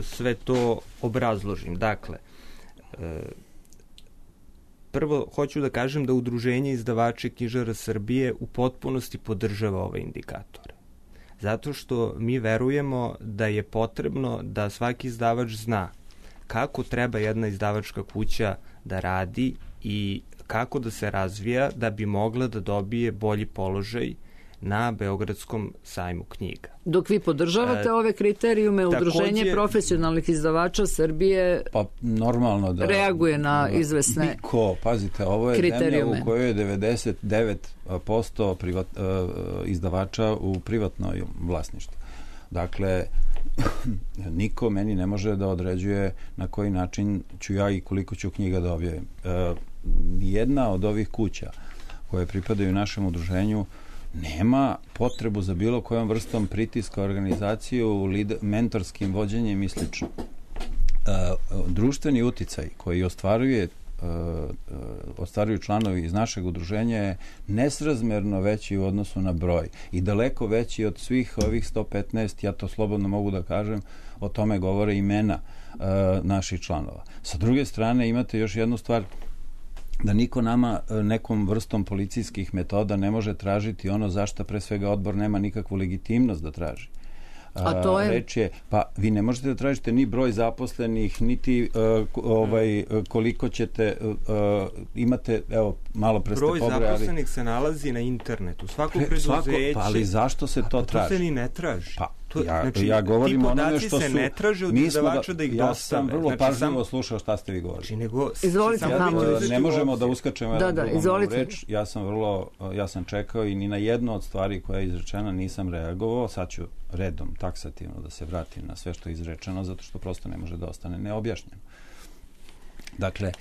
Speaker 4: sve to obrazložim. Dakle, prvo hoću da kažem da Udruženje izdavača i knjižara Srbije u potpunosti podržava ove indikatore. Zato što mi verujemo da je potrebno da svaki izdavač zna kako treba jedna izdavačka kuća da radi i kako da se razvija da bi mogla da dobije bolji položaj na Beogradskom sajmu knjiga.
Speaker 3: Dok vi podržavate ove kriterijume, Udruženje profesionalnih izdavača Srbije
Speaker 5: normalno da
Speaker 3: reaguje na izvesne
Speaker 5: niko, pazite, ovo je zemlja u kojoj je 99% izdavača u privatnoj vlasništvu. Dakle, niko meni ne može da određuje na koji način ću ja i koliko ću knjiga da objavim. Nijedna od ovih kuća koje pripadaju našem udruženju nema potrebu za bilo kojom vrstom pritiska organizaciju, mentorskim vođenjem i slično. Društveni uticaj koji ostvaruju članovi iz našeg udruženja je nesrazmerno veći u odnosu na broj i daleko veći od svih ovih 115, ja to slobodno mogu da kažem, o tome govore imena naših članova. Sa druge strane imate još jednu stvar, da niko nama nekom vrstom policijskih metoda ne može tražiti ono zašto pre svega odbor nema nikakvu legitimnost da traži.
Speaker 3: A to je?
Speaker 5: Reč je, pa vi ne možete da tražite ni broj zaposlenih, niti koliko ćete imate, evo, malo pre ste pobrojali.
Speaker 4: Broj zaposlenih se nalazi na internetu. Svako preduzeće.
Speaker 5: Ali zašto se to traži?
Speaker 4: To se ni ne traži.
Speaker 5: Pa, ja govorim onome što su...
Speaker 4: Ti podaci se ne traže od izdavača da ih dostave.
Speaker 5: Ja sam vrlo pažljivo slušao šta ste vi govorili.
Speaker 3: Izvolite,
Speaker 5: ne možemo da uskačemo reč. Ja sam čekao i ni na jednu od stvari koja je izrečena nisam reagovao. Sad ću redom, taksativno da se vratim na sve što je izrečeno, zato što prosto ne može da ostane neobjašnjeno. Dakle,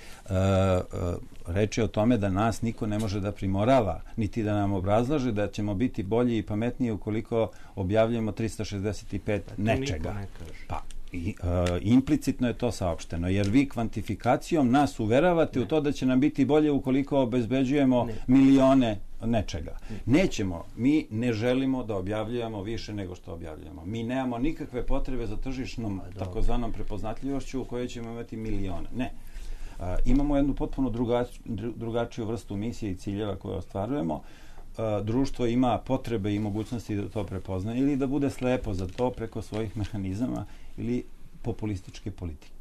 Speaker 5: reč je o tome da nas niko ne može da primorava, niti da nam obrazlaže da ćemo biti bolji i pametniji ukoliko objavljujemo 365 nečega. Pa, implicitno je to saopšteno, jer vi kvantifikacijom nas uveravate u to da će nam biti bolje ukoliko obezbeđujemo milione nečega. Nećemo, mi ne želimo da objavljujemo više nego što objavljujemo. Mi nemamo nikakve potrebe za tržišnom takozvanom prepoznatljivošću u kojoj ćemo imati milione. Ne. Imamo jednu potpuno drugačiju vrstu misije i ciljeva koje ostvarujemo. Društvo ima potrebe i mogućnosti da to prepozna ili da bude slepo za to preko svojih mehanizama ili populističke politike.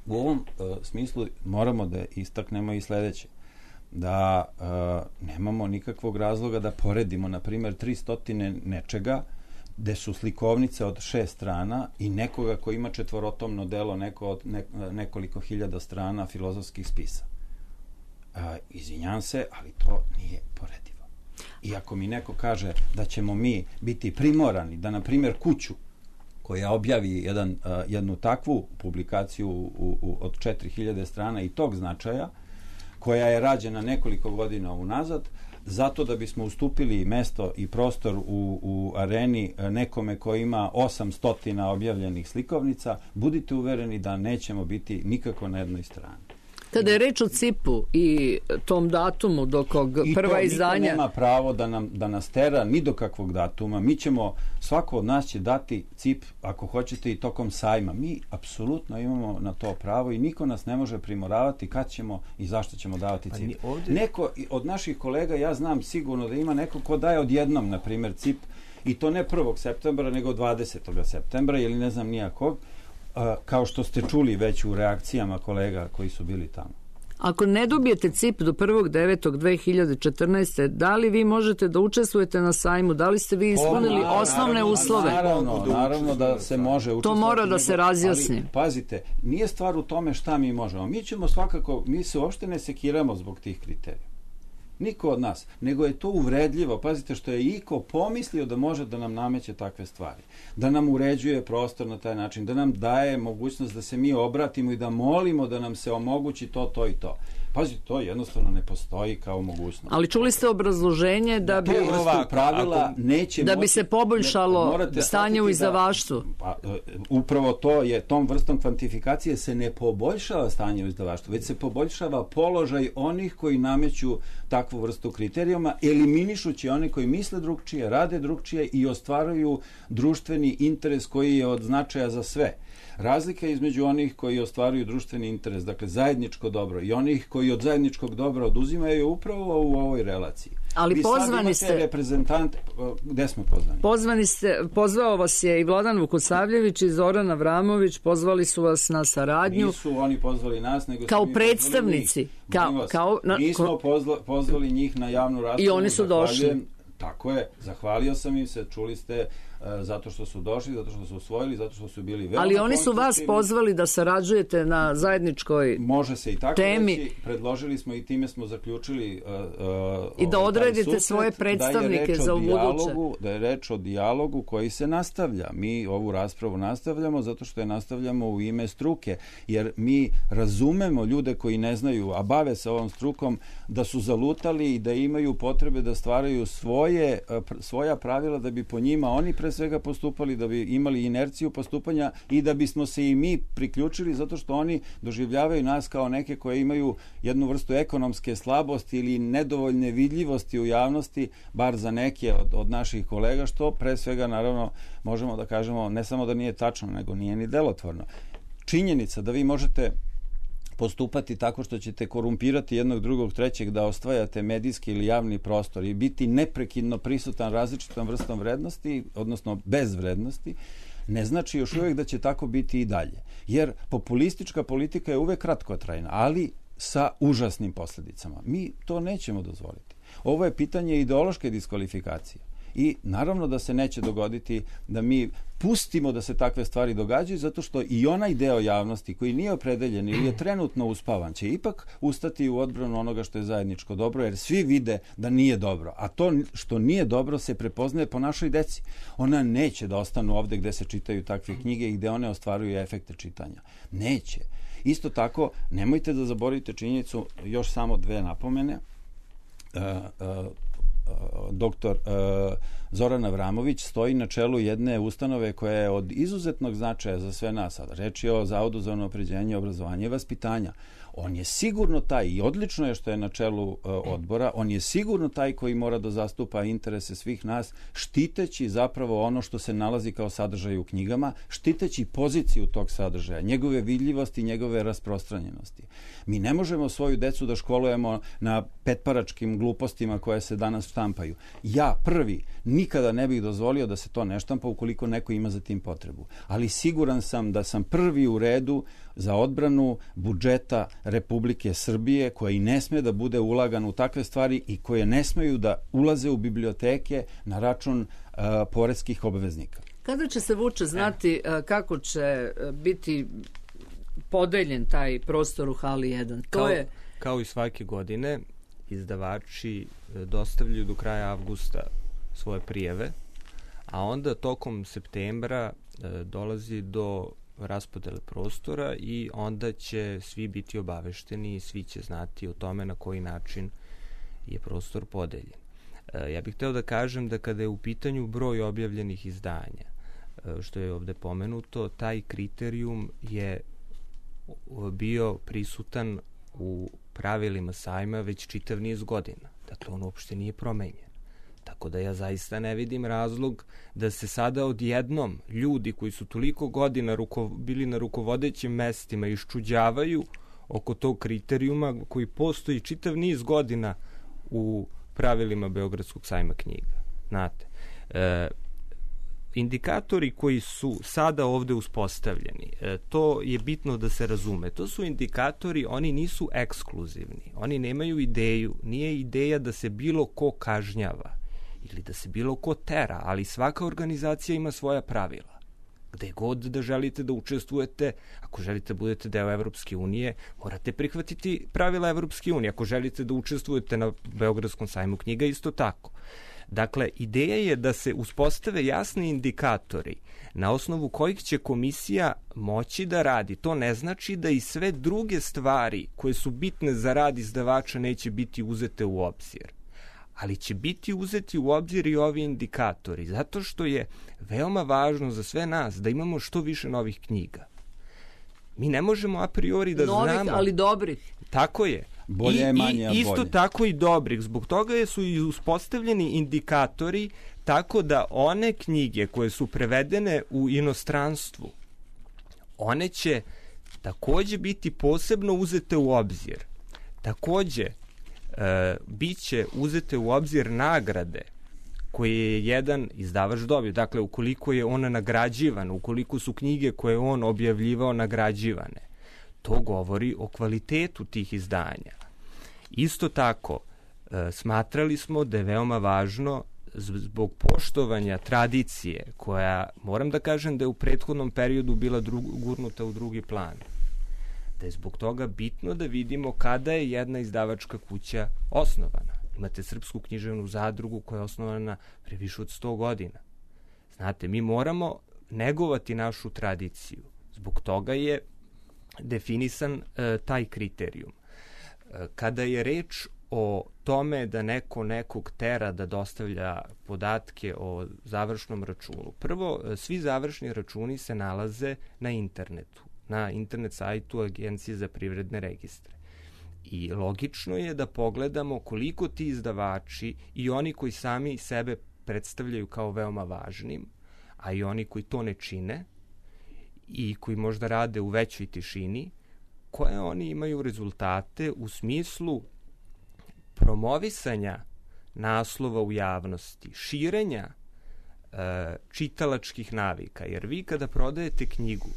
Speaker 5: U ovom smislu moramo da istaknemo i sledeće, da nemamo nikakvog razloga da poredimo, na primjer, 300 nečega gde su slikovnice od 6 strana i nekoga ko ima četvorotomno delo nekoliko hiljada strana filozofskih spisa. Izvinjam se, ali to nije poredivo. I ako mi neko kaže da ćemo mi biti primorani da, na primjer, kuću koja objavi jednu takvu publikaciju od 4000 strana i tog značaja, koja je rađena nekoliko godina unazad, zato da bismo ustupili mesto i prostor u areni nekome koji ima 800 objavljenih slikovnica, budite uvereni da nećemo biti nikako na jednoj strani.
Speaker 3: Kada je reč o CIP-u i tom datumu do kog prva izdanja...
Speaker 5: I to niko nema pravo da nas tera ni do kakvog datuma. Mi ćemo, svako od nas će dati CIP, ako hoćete, i tokom sajma. Mi apsolutno imamo na to pravo i niko nas ne može primoravati kad ćemo i zašto ćemo davati CIP. Neko od naših kolega, ja znam sigurno da ima neko ko daje odjednom, na primjer, CIP, i to ne 1. septembra, nego 20. septembra, ili ne znam nijakog. kao što ste čuli već u reakcijama kolega koji su bili tamo.
Speaker 3: Ako ne dobijete CIP do 1.9.2014. da li vi možete da učestvujete na sajmu? Da li ste vi ispunili osnovne uslove?
Speaker 5: Naravno da se može učestvovati.
Speaker 3: To mora da se razjasni.
Speaker 5: Ali, pazite, nije stvar u tome šta mi možemo. Mi ćemo svakako, mi se uopšte ne sekiramo zbog tih kriterija. Niko od nas, nego je to uvredljivo. Pazite što je iko pomislio da može da nam nameće takve stvari. Da nam uređuje prostor na taj način, da nam daje mogućnost da se mi obratimo i da molimo da nam se omogući to i to. Pazite, to jednostavno ne postoji kao mogućnost.
Speaker 3: Ali čuli ste obrazloženje da bi
Speaker 5: pravila neće
Speaker 3: da bi se poboljšalo stanje u izdavaštvu.
Speaker 5: Upravo to je, tom vrstom kvantifikacije se ne poboljšava stanje u izdavaštvu, već se poboljšava položaj onih koji nameću takvu vrstu kriterijuma, eliminišući one koji misle drugčije, rade drugčije i ostvaruju društveni interes koji je od značaja za sve. Razlika između onih koji ostvaruju društveni interes, dakle zajedničko dobro, i onih koji od zajedničkog dobra oduzimaju je upravo u ovoj relaciji.
Speaker 3: Ali pozvani ste
Speaker 5: reprezentante, gde smo pozvani?
Speaker 3: Pozvao vas je i Vladan Vukosavljević i Zoran Avramović, pozvali su vas na saradnju.
Speaker 5: Nisu oni pozvali nas, nego
Speaker 3: kao predstavnici.
Speaker 5: Mi smo pozvali njih na javnu raspravu.
Speaker 3: I oni su došli.
Speaker 5: Tako je, zahvalio sam im se, čuli ste, zato što su došli, zato što su usvojili, zato što su bili veoma.
Speaker 3: Ali oni su vas pozvali da sarađujete na zajedničkoj temi.
Speaker 5: Može se i tako reći, predložili smo i time smo zaključili
Speaker 3: i da odredite svoje predstavnike za ubuduće.
Speaker 5: Da je reč o dijalogu koji se nastavlja. Mi ovu raspravu nastavljamo zato što je nastavljamo u ime struke, jer mi razumemo ljude koji ne znaju, a bave se ovom strukom, da su zalutali i da imaju potrebe da stvaraju svoja pravila da bi po njima oni pre svega postupali, da bi imali inerciju postupanja i da bismo se i mi priključili zato što oni doživljavaju nas kao neke koje imaju jednu vrstu ekonomske slabosti ili nedovoljne vidljivosti u javnosti, bar za neke od naših kolega, što pre svega naravno možemo da kažemo ne samo da nije tačno, nego nije ni delotvorno. Činjenica da vi možete postupati tako što ćete korumpirati jednog, drugog, trećeg, da osvajate medijski ili javni prostor i biti neprekidno prisutan različitom vrstom vrednosti, odnosno bez vrednosti, ne znači još uvijek da će tako biti i dalje. Jer populistička politika je uvek kratkotrajna, ali sa užasnim posljedicama. Mi to nećemo dozvoliti. Ovo je pitanje ideološke diskvalifikacije. I naravno da se neće dogoditi da mi pustimo da se takve stvari događaju, zato što i onaj deo javnosti koji nije opredeljen ili je trenutno uspavan će ipak ustati u odbranu onoga što je zajedničko dobro, jer svi vide da nije dobro. A to što nije dobro se prepoznaje po našoj deci. Ona neće da ostanu ovde gde se čitaju takve knjige i gde one ostvaruju efekte čitanja. Neće. Isto tako, nemojte da zaboravite činjenicu, još samo dve napomene. Doktor Zoran Avramović stoji na čelu jedne ustanove koja je od izuzetnog značaja za sve nas. Reč je o Zavodu za unapređenje obrazovanja i vaspitanja. On je sigurno taj, i odlično je što je na čelu odbora, on je sigurno taj koji mora da zastupa interese svih nas, štiteći zapravo ono što se nalazi kao sadržaj u knjigama, štiteći poziciju tog sadržaja, njegove vidljivosti, njegove rasprostranjenosti. Mi ne možemo svoju decu da školujemo na petparačkim glupostima koje se danas štampaju. Ja prvi nikada ne bih dozvolio da se to ne štampa ukoliko neko ima za tim potrebu. Ali siguran sam da sam prvi u redu za odbranu budžeta Republike Srbije, koja i ne sme da bude ulagan u takve stvari i koje ne smeju da ulaze u biblioteke na račun poreskih obveznika.
Speaker 3: Kada će se, Vuče, znati kako će biti podeljen taj prostor u hali 1?
Speaker 4: Kao i svake godine, izdavači dostavljaju do kraja avgusta svoje prijave, a onda tokom septembra dolazi do raspodele prostora i onda će svi biti obavešteni i svi će znati o tome na koji način je prostor podeljen. Ja bih hteo da kažem da kada je u pitanju broj objavljenih izdanja, što je ovde pomenuto, taj kriterijum je bio prisutan u pravilima sajma već čitav niz godina. Dakle, on uopšte nije promenjen. Tako da ja zaista ne vidim razlog da se sada odjednom ljudi koji su toliko godina bili na rukovodećim mestima iščuđavaju oko tog kriterijuma koji postoji čitav niz godina u pravilima Beogradskog sajma knjiga. Znate, indikatori koji su sada ovde uspostavljeni, to je bitno da se razume. To su indikatori, oni nisu ekskluzivni. Oni nemaju ideju, nije ideja da se bilo ko kažnjava ili da se bilo ko tera, ali svaka organizacija ima svoja pravila. Gde god da želite da učestvujete, ako želite da budete deo Evropske unije, morate prihvatiti pravila Evropske unije. Ako želite da učestvujete na Beogradskom sajmu knjiga, isto tako. Dakle, ideja je da se uspostave jasni indikatori na osnovu kojih će komisija moći da radi. To ne znači da i sve druge stvari koje su bitne za rad izdavača neće biti uzete u obzir. Ali će biti uzeti u obzir i ovi indikatori, zato što je veoma važno za sve nas da imamo što više novih knjiga. Mi ne možemo a priori da znamo...
Speaker 3: Novih, ali dobrih.
Speaker 4: Tako je.
Speaker 5: Bolje, manje, a bolje.
Speaker 4: Isto tako i dobrih. Zbog toga su i uspostavljeni indikatori tako da one knjige koje su prevedene u inostranstvu, one će takođe biti posebno uzete u obzir. Takođe, biće uzete u obzir nagrade koje je jedan izdavač dobio. Dakle, ukoliko je on nagrađivan, ukoliko su knjige koje on objavljivao nagrađivane, to govori o kvalitetu tih izdanja. Isto tako, smatrali smo da je veoma važno zbog poštovanja tradicije, koja, moram da kažem da je u prethodnom periodu bila gurnuta u drugi plan, da je zbog toga bitno da vidimo kada je jedna izdavačka kuća osnovana. Imate Srpsku književnu zadrugu koja je osnovana pre više od 100 godina. Znate, mi moramo negovati našu tradiciju. Zbog toga je definisan taj kriterijum. Kada je reč o tome da neko nekog tera da dostavlja podatke o završnom računu, prvo, svi završni računi se nalaze na internetu, na internet sajtu Agencije za privredne registre. I logično je da pogledamo koliko ti izdavači i oni koji sami sebe predstavljaju kao veoma važnim, a i oni koji to ne čine i koji možda rade u većoj tišini, koje oni imaju rezultate u smislu promovisanja naslova u javnosti, širenja čitalačkih navika. Jer vi kada prodajete knjigu,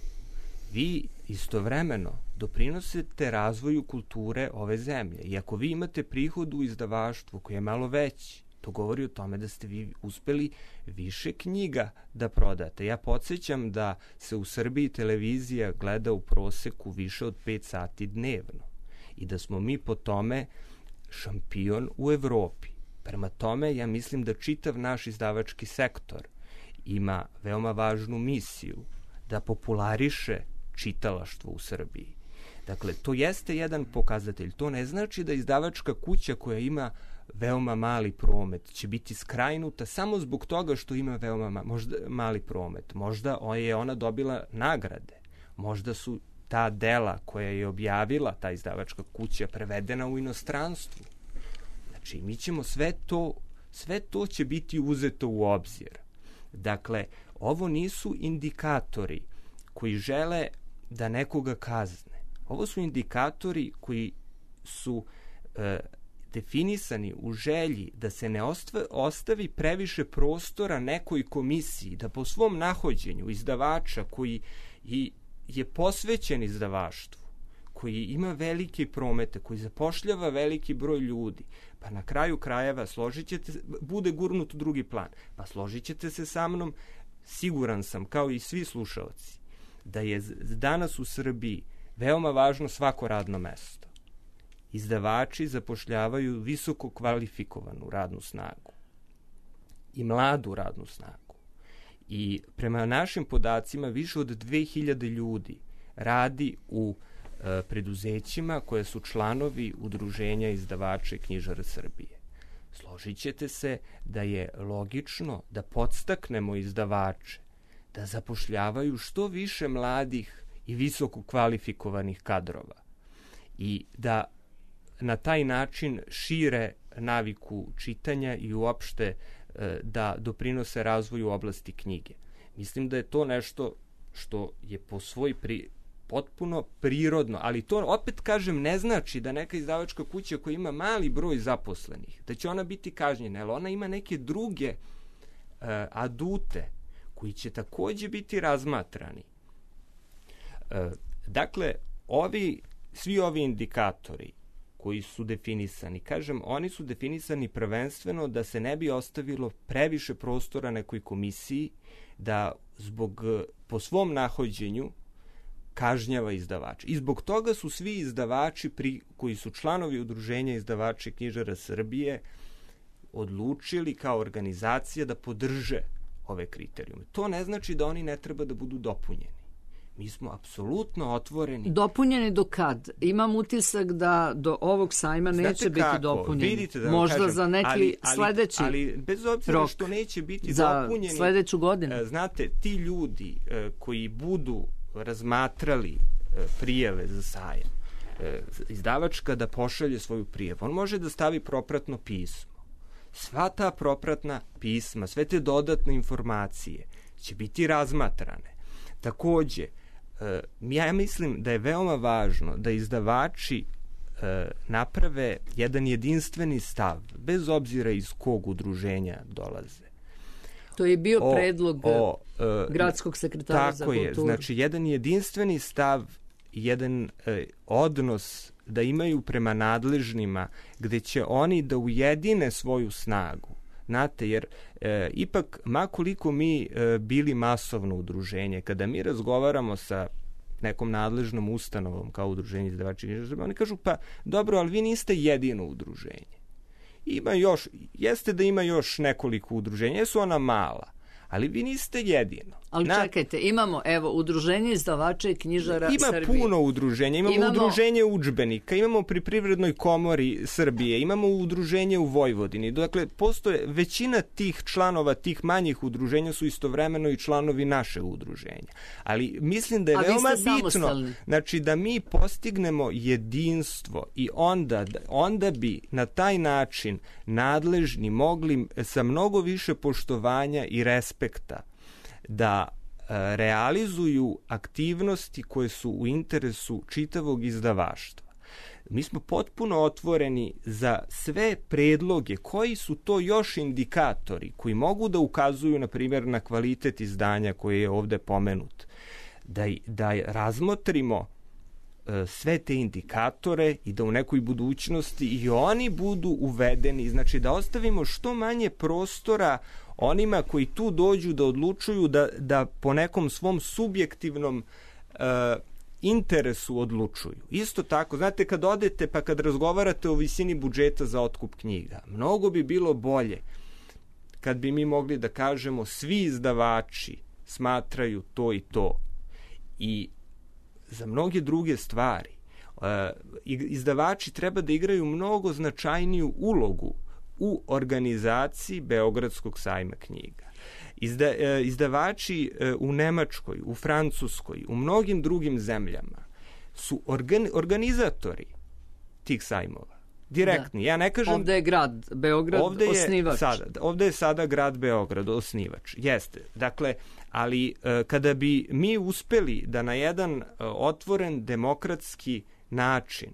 Speaker 4: vi istovremeno doprinosite razvoju kulture ove zemlje. I ako vi imate prihod u izdavaštvu koji je malo veći, to govori o tome da ste vi uspeli više knjiga da prodate. Ja podsjećam da se u Srbiji televizija gleda u proseku više od 5 sati dnevno i da smo mi po tome šampion u Evropi. Prema tome, ja mislim da čitav naš izdavački sektor ima veoma važnu misiju da populariše čitalaštvo u Srbiji. Dakle, to jeste jedan pokazatelj. To ne znači da izdavačka kuća koja ima veoma mali promet će biti skrajnuta samo zbog toga što ima veoma mali promet. Možda je ona dobila nagrade. Možda su ta dela koja je objavila ta izdavačka kuća prevedena u inostranstvu. Znači, mi ćemo sve to će biti uzeto u obzir. Dakle, ovo nisu indikatori koji žele da nekoga kazne. Ovo su indikatori koji su definisani u želji da se ne ostavi previše prostora nekoj komisiji, da po svom nahođenju izdavača koji je posvećen izdavaštvu, koji ima velike promete, koji zapošljava veliki broj ljudi, pa na kraju krajeva bude gurnut u drugi plan. Pa složit ćete se sa mnom, siguran sam, kao i svi slušalci, da je danas u Srbiji veoma važno svako radno mesto. Izdavači zapošljavaju visoko kvalifikovanu radnu snagu i mladu radnu snagu. I prema našim podacima više od 2000 ljudi radi u preduzećima koje su članovi Udruženja izdavača i knjižara Srbije. Složit ćete se da je logično da podstaknemo izdavače da zapošljavaju što više mladih i visoko kvalifikovanih kadrova i da na taj način šire naviku čitanja i uopšte da doprinose razvoju oblasti knjige. Mislim da je to nešto što je po svoj potpuno prirodno, ali to opet kažem ne znači da neka izdavačka kuća koja ima mali broj zaposlenih, da će ona biti kažnjena, jer ona ima neke druge adute koji će takođe biti razmatrani. Dakle, svi ovi indikatori koji su definisani, kažem, oni su definisani prvenstveno da se ne bi ostavilo previše prostora nekoj komisiji da po svom nahođenju kažnjava izdavača. I zbog toga su svi izdavači koji su članovi Udruženja izdavača i knjižara Srbije odlučili kao organizacija da podrže ove kriterijume. To ne znači da oni ne treba da budu dopunjeni. Mi smo apsolutno otvoreni.
Speaker 3: Dopunjeni do kad? Imam utisak da do ovog sajma neće biti dopunjeni.
Speaker 4: Vidite, da
Speaker 3: možda
Speaker 4: kažem,
Speaker 3: za neki sledeći
Speaker 4: ali bez obzira
Speaker 3: rok,
Speaker 4: što neće biti
Speaker 3: za
Speaker 4: dopunjeni,
Speaker 3: sledeću godinu.
Speaker 4: Znate, ti ljudi koji budu razmatrali prijave za sajam, izdavač kada pošalje svoju prijavu, on može da stavi propratno pismo. Sva ta propratna pisma, sve te dodatne informacije će biti razmatrane. Takođe, ja mislim da je veoma važno da izdavači naprave jedan jedinstveni stav, bez obzira iz kog udruženja dolaze.
Speaker 3: To je bio predlog gradskog sekretara za kulturu.
Speaker 4: Tako je, znači jedan jedinstveni stav, jedan odnos da imaju prema nadležnima, gde će oni da ujedine svoju snagu. Znate, jer ipak, makoliko mi bili masovno udruženje, kada mi razgovaramo sa nekom nadležnom ustanovom kao udruženje izdavača i knjižara Srbije, oni kažu, pa dobro, ali vi niste jedino udruženje. Jeste da ima još nekoliko udruženja, jesu ona mala, ali vi niste jedino.
Speaker 3: Ali čekajte, imamo, udruženje izdavača i knjižara Srbije.
Speaker 4: Ima puno udruženja, imamo udruženje udžbenika, imamo pri Privrednoj komori Srbije, imamo udruženje u Vojvodini. Dakle, postoje većina tih članova, tih manjih udruženja su istovremeno i članovi našeg udruženja. Ali mislim da je veoma bitno, znači da mi postignemo jedinstvo i onda bi na taj način nadležni mogli sa mnogo više poštovanja i respekta da realizuju aktivnosti koje su u interesu čitavog izdavaštva. Mi smo potpuno otvoreni za sve predloge, koji su to još indikatori koji mogu da ukazuju, na primjer, na kvalitet izdanja koji je ovde pomenut. Da razmotrimo sve te indikatore i da u nekoj budućnosti i oni budu uvedeni, znači da ostavimo što manje prostora onima koji tu dođu da odlučuju da po nekom svom subjektivnom interesu odlučuju. Isto tako, znate, kad odete pa kad razgovarate o visini budžeta za otkup knjiga, mnogo bi bilo bolje kad bi mi mogli da kažemo svi izdavači smatraju to i to. I za mnoge druge stvari izdavači treba da igraju mnogo značajniju ulogu u organizaciji Beogradskog sajma knjiga. Izdavači u Nemačkoj, u Francuskoj, u mnogim drugim zemljama su organizatori tih sajmova. Direktni.
Speaker 3: Da.
Speaker 4: Ja ne kažem...
Speaker 3: Ovde je grad Beograd osnivač.
Speaker 4: Ovde je sada grad Beograd osnivač. Jeste. Dakle, ali kada bi mi uspeli da na jedan otvoren demokratski način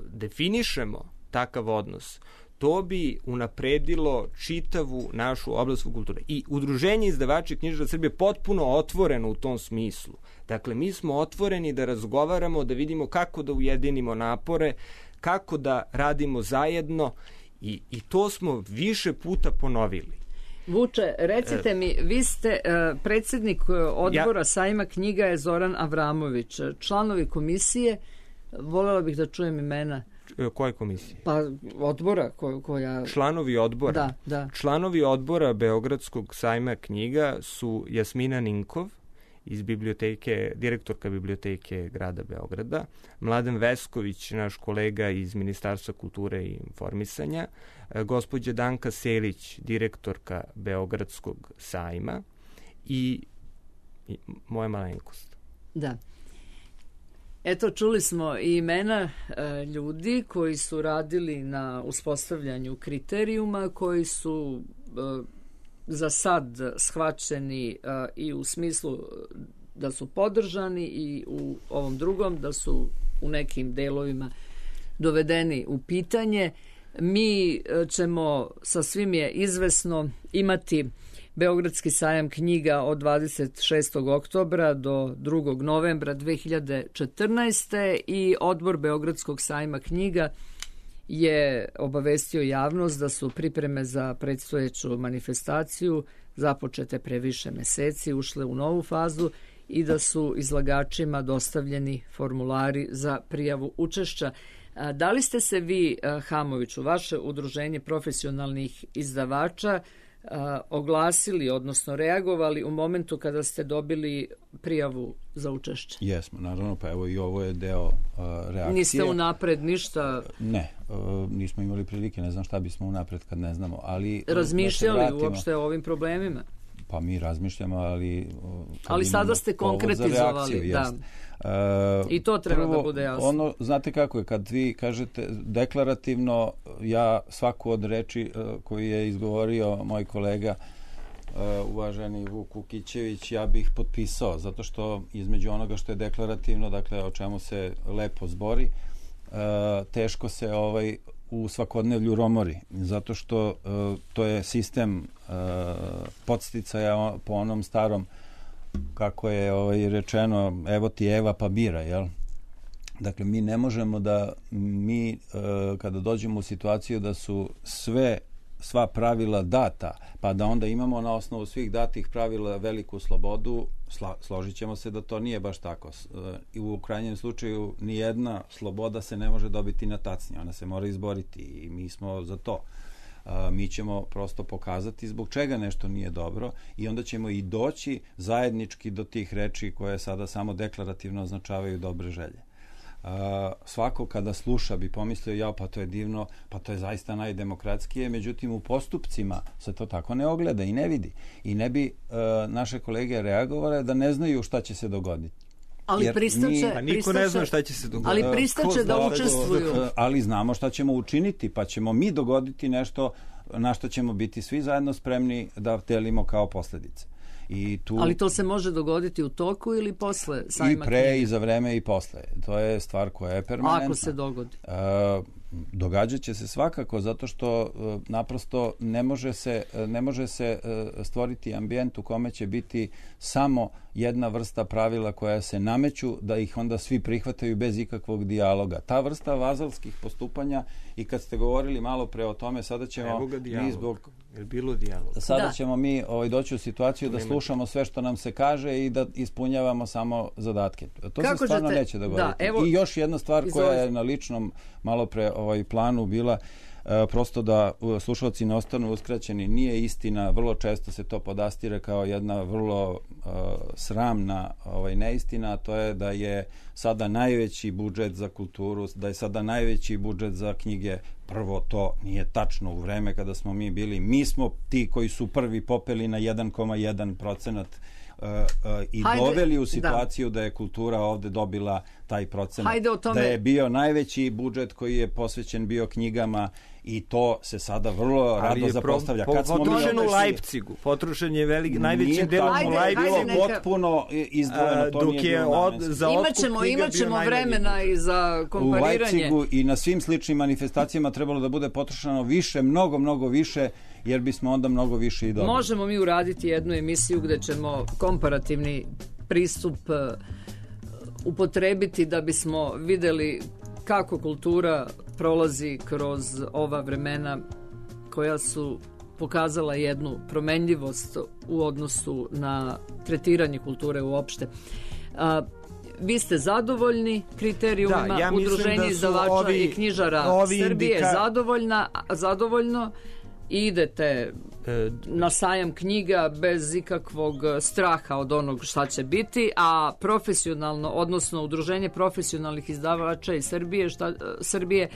Speaker 4: definišemo takav odnos, to bi unapredilo čitavu našu oblast kulture. I Udruženje izdavača i knjižara Srbije potpuno otvoreno u tom smislu. Dakle, mi smo otvoreni da razgovaramo, da vidimo kako da ujedinimo napore, kako da radimo zajedno i to smo više puta ponovili.
Speaker 3: Vuče, recite mi, vi ste predsjednik odbora sajma knjiga je Zoran Avramović. Članovi komisije, voljela bih da čujem imena.
Speaker 4: Koje komisije?
Speaker 3: Pa odbora koja...
Speaker 4: Članovi odbora?
Speaker 3: Da.
Speaker 4: Članovi odbora Beogradskog sajma knjiga su Jasmina Ninkov iz biblioteke, direktorka biblioteke grada Beograda, Mladen Vesković, naš kolega iz Ministarstva kulture i informisanja, gospođa Danka Selić, direktorka Beogradskog sajma i moja malenkost.
Speaker 3: Da. Eto, čuli smo i imena ljudi koji su radili na uspostavljanju kriterijuma, koji su za sad shvaćeni i u smislu da su podržani i u ovom drugom da su u nekim delovima dovedeni u pitanje. Mi ćemo, sa svim je izvesno, imati Beogradski sajam knjiga od 26. oktobra do 2. novembra 2014. i odbor Beogradskog sajma knjiga je obavestio javnost da su pripreme za predstojeću manifestaciju započete pre više meseci, ušle u novu fazu i da su izlagačima dostavljeni formulari za prijavu učešća. Da li ste se vi, Hamoviću, vaše udruženje profesionalnih izdavača, oglasili, odnosno reagovali u momentu kada ste dobili prijavu za učešće?
Speaker 5: Jesmo, naravno, pa evo i ovo je deo reakcije.
Speaker 3: Niste unapred ništa?
Speaker 5: Ne, nismo imali prilike, ne znam šta bismo unapred kad ne znamo, ali...
Speaker 3: Razmišljali uopšte o ovim problemima?
Speaker 5: Pa mi razmišljamo, ali
Speaker 3: sada ste konkretizovali, da. I to treba prvo, da bude jasno.
Speaker 5: Znate kako je, kad vi kažete deklarativno, ja svaku od reči koju je izgovorio moj kolega, uvaženi Vuk Ukićević, ja bih potpisao, zato što između onoga što je deklarativno, dakle o čemu se lepo zbori, teško se u svakodnevlju romori, zato što to je sistem podsticaja po onom starom, kako je rečeno, evo ti Eva pa bira, jel? Dakle, mi ne možemo da kada dođemo u situaciju da su sva pravila data, pa da onda imamo na osnovu svih datih pravila veliku slobodu, složit ćemo se da to nije baš tako. I u krajnjem slučaju nijedna sloboda se ne može dobiti na tacni, ona se mora izboriti i mi smo za to. Mi ćemo prosto pokazati zbog čega nešto nije dobro i onda ćemo i doći zajednički do tih reči koje sada samo deklarativno označavaju dobre želje. Svako kada sluša bi pomislio, pa to je divno, pa to je zaista najdemokratskije, međutim u postupcima se to tako ne ogleda i ne vidi. I ne bi naše kolege reagovale da ne znaju šta će se dogoditi.
Speaker 3: Ali
Speaker 4: niko ne zna šta će se dogoditi.
Speaker 3: Ali pristaće da učestvuju.
Speaker 5: Ali znamo šta ćemo učiniti, pa ćemo mi dogoditi nešto na što ćemo biti svi zajedno spremni da delimo kao posledice.
Speaker 3: Ali to se može dogoditi u toku ili posle sajma knjiga?
Speaker 5: I pre, i za vreme, i posle. To je stvar koja je permanentna.
Speaker 3: Ako se dogodi?
Speaker 5: Događat će se svakako, zato što naprosto ne može se stvoriti ambijent u kome će biti samo jedna vrsta pravila koja se nameću, da ih onda svi prihvataju bez ikakvog dijaloga. Ta vrsta vazalskih postupanja, i kad ste govorili malo pre o tome, sada ćemo ćemo mi doći u situaciju da slušamo sve što nam se kaže i da ispunjavamo samo zadatke. To se stvarno neće dogoditi. I još jedna stvar koja je na ličnom malo pre planu bila, prosto da slušalci ne ostanu uskraćeni, nije istina, vrlo često se to podastire kao jedna vrlo sramna neistina, a to je da je sada najveći budžet za kulturu, da je sada najveći budžet za knjige. Prvo, to nije tačno. U vreme kada smo mi smo ti koji su prvi popeli na 1,1% i doveli u situaciju da je kultura ovde dobila taj procenat. Da je bio najveći budžet koji je posvećen bio knjigama i to se sada vrlo rado zapostavlja.
Speaker 4: Potrošen u Leipzigu. Potrošen je najvećim delom u Leipzigu.
Speaker 5: Bilo potpuno izdvojeno. To nije bilo namenski.
Speaker 3: Imaćemo vremena i za kompariranje.
Speaker 5: U Leipzigu i na svim sličnim manifestacijama trebalo da bude potrošeno više, mnogo više, jer bismo onda mnogo više i dobili.
Speaker 3: Možemo mi uraditi jednu emisiju gde ćemo komparativni pristup upotrebiti da bismo videli kako kultura prolazi kroz ova vremena koja su pokazala jednu promenljivost u odnosu na tretiranje kulture uopšte. Vi ste zadovoljni kriterijumima, Udruženje izdavača i knjižara Srbije zadovoljno i idete na sajam knjiga bez ikakvog straha od onog šta će biti, a profesionalno, odnosno Udruženje profesionalnih izdavača iz Srbije,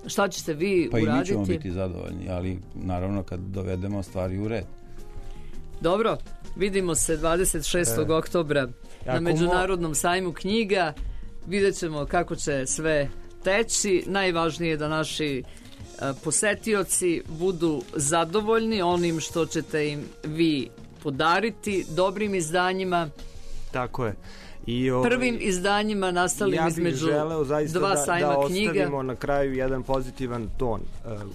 Speaker 3: šta ćete vi uraditi?
Speaker 5: Pa i mi ćemo biti zadovoljni, ali naravno kad dovedemo stvari u red.
Speaker 3: Dobro, vidimo se 26. oktobra na Međunarodnom sajmu knjiga, vidjet ćemo kako će sve teći. Najvažnije je da naši posetioci budu zadovoljni onim što ćete im vi podariti, dobrim izdanjima.
Speaker 4: Tako je. I
Speaker 3: prvim izdanjima nastalim između dva sajma
Speaker 4: da
Speaker 3: knjiga.
Speaker 4: ostavimo na kraju jedan pozitivan ton.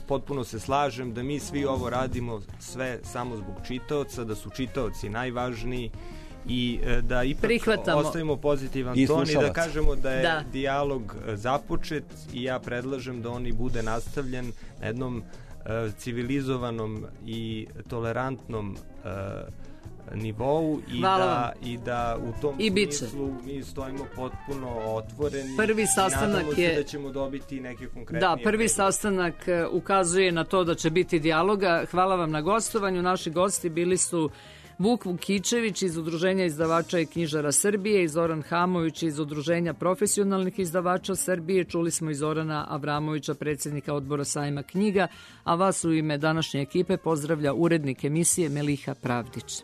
Speaker 4: Potpuno se slažem da mi svi ovo radimo sve samo zbog čitaoca, da su čitaoci najvažniji i da ipak ostavimo pozitivan ton i da kažemo da je dijalog započet i ja predlažem da on i bude nastavljen na jednom civilizovanom i tolerantnom nivou i da u tom smislu mi stojimo potpuno otvoreni.
Speaker 3: Prvi sastanak
Speaker 4: nadamo se da ćemo dobiti neke konkretnije.
Speaker 3: Da, prvi sastanak ukazuje na to da će biti dijaloga. Hvala vam na gostovanju. Naši gosti bili su Vuk Vukičević iz Udruženja izdavača i knjižara Srbije i Zoran Hamović iz Udruženja profesionalnih izdavača Srbije. Čuli smo i Zorana Avramovića, predsjednika odbora sajma knjiga, a vas u ime današnje ekipe pozdravlja urednik emisije Meliha Pravdić.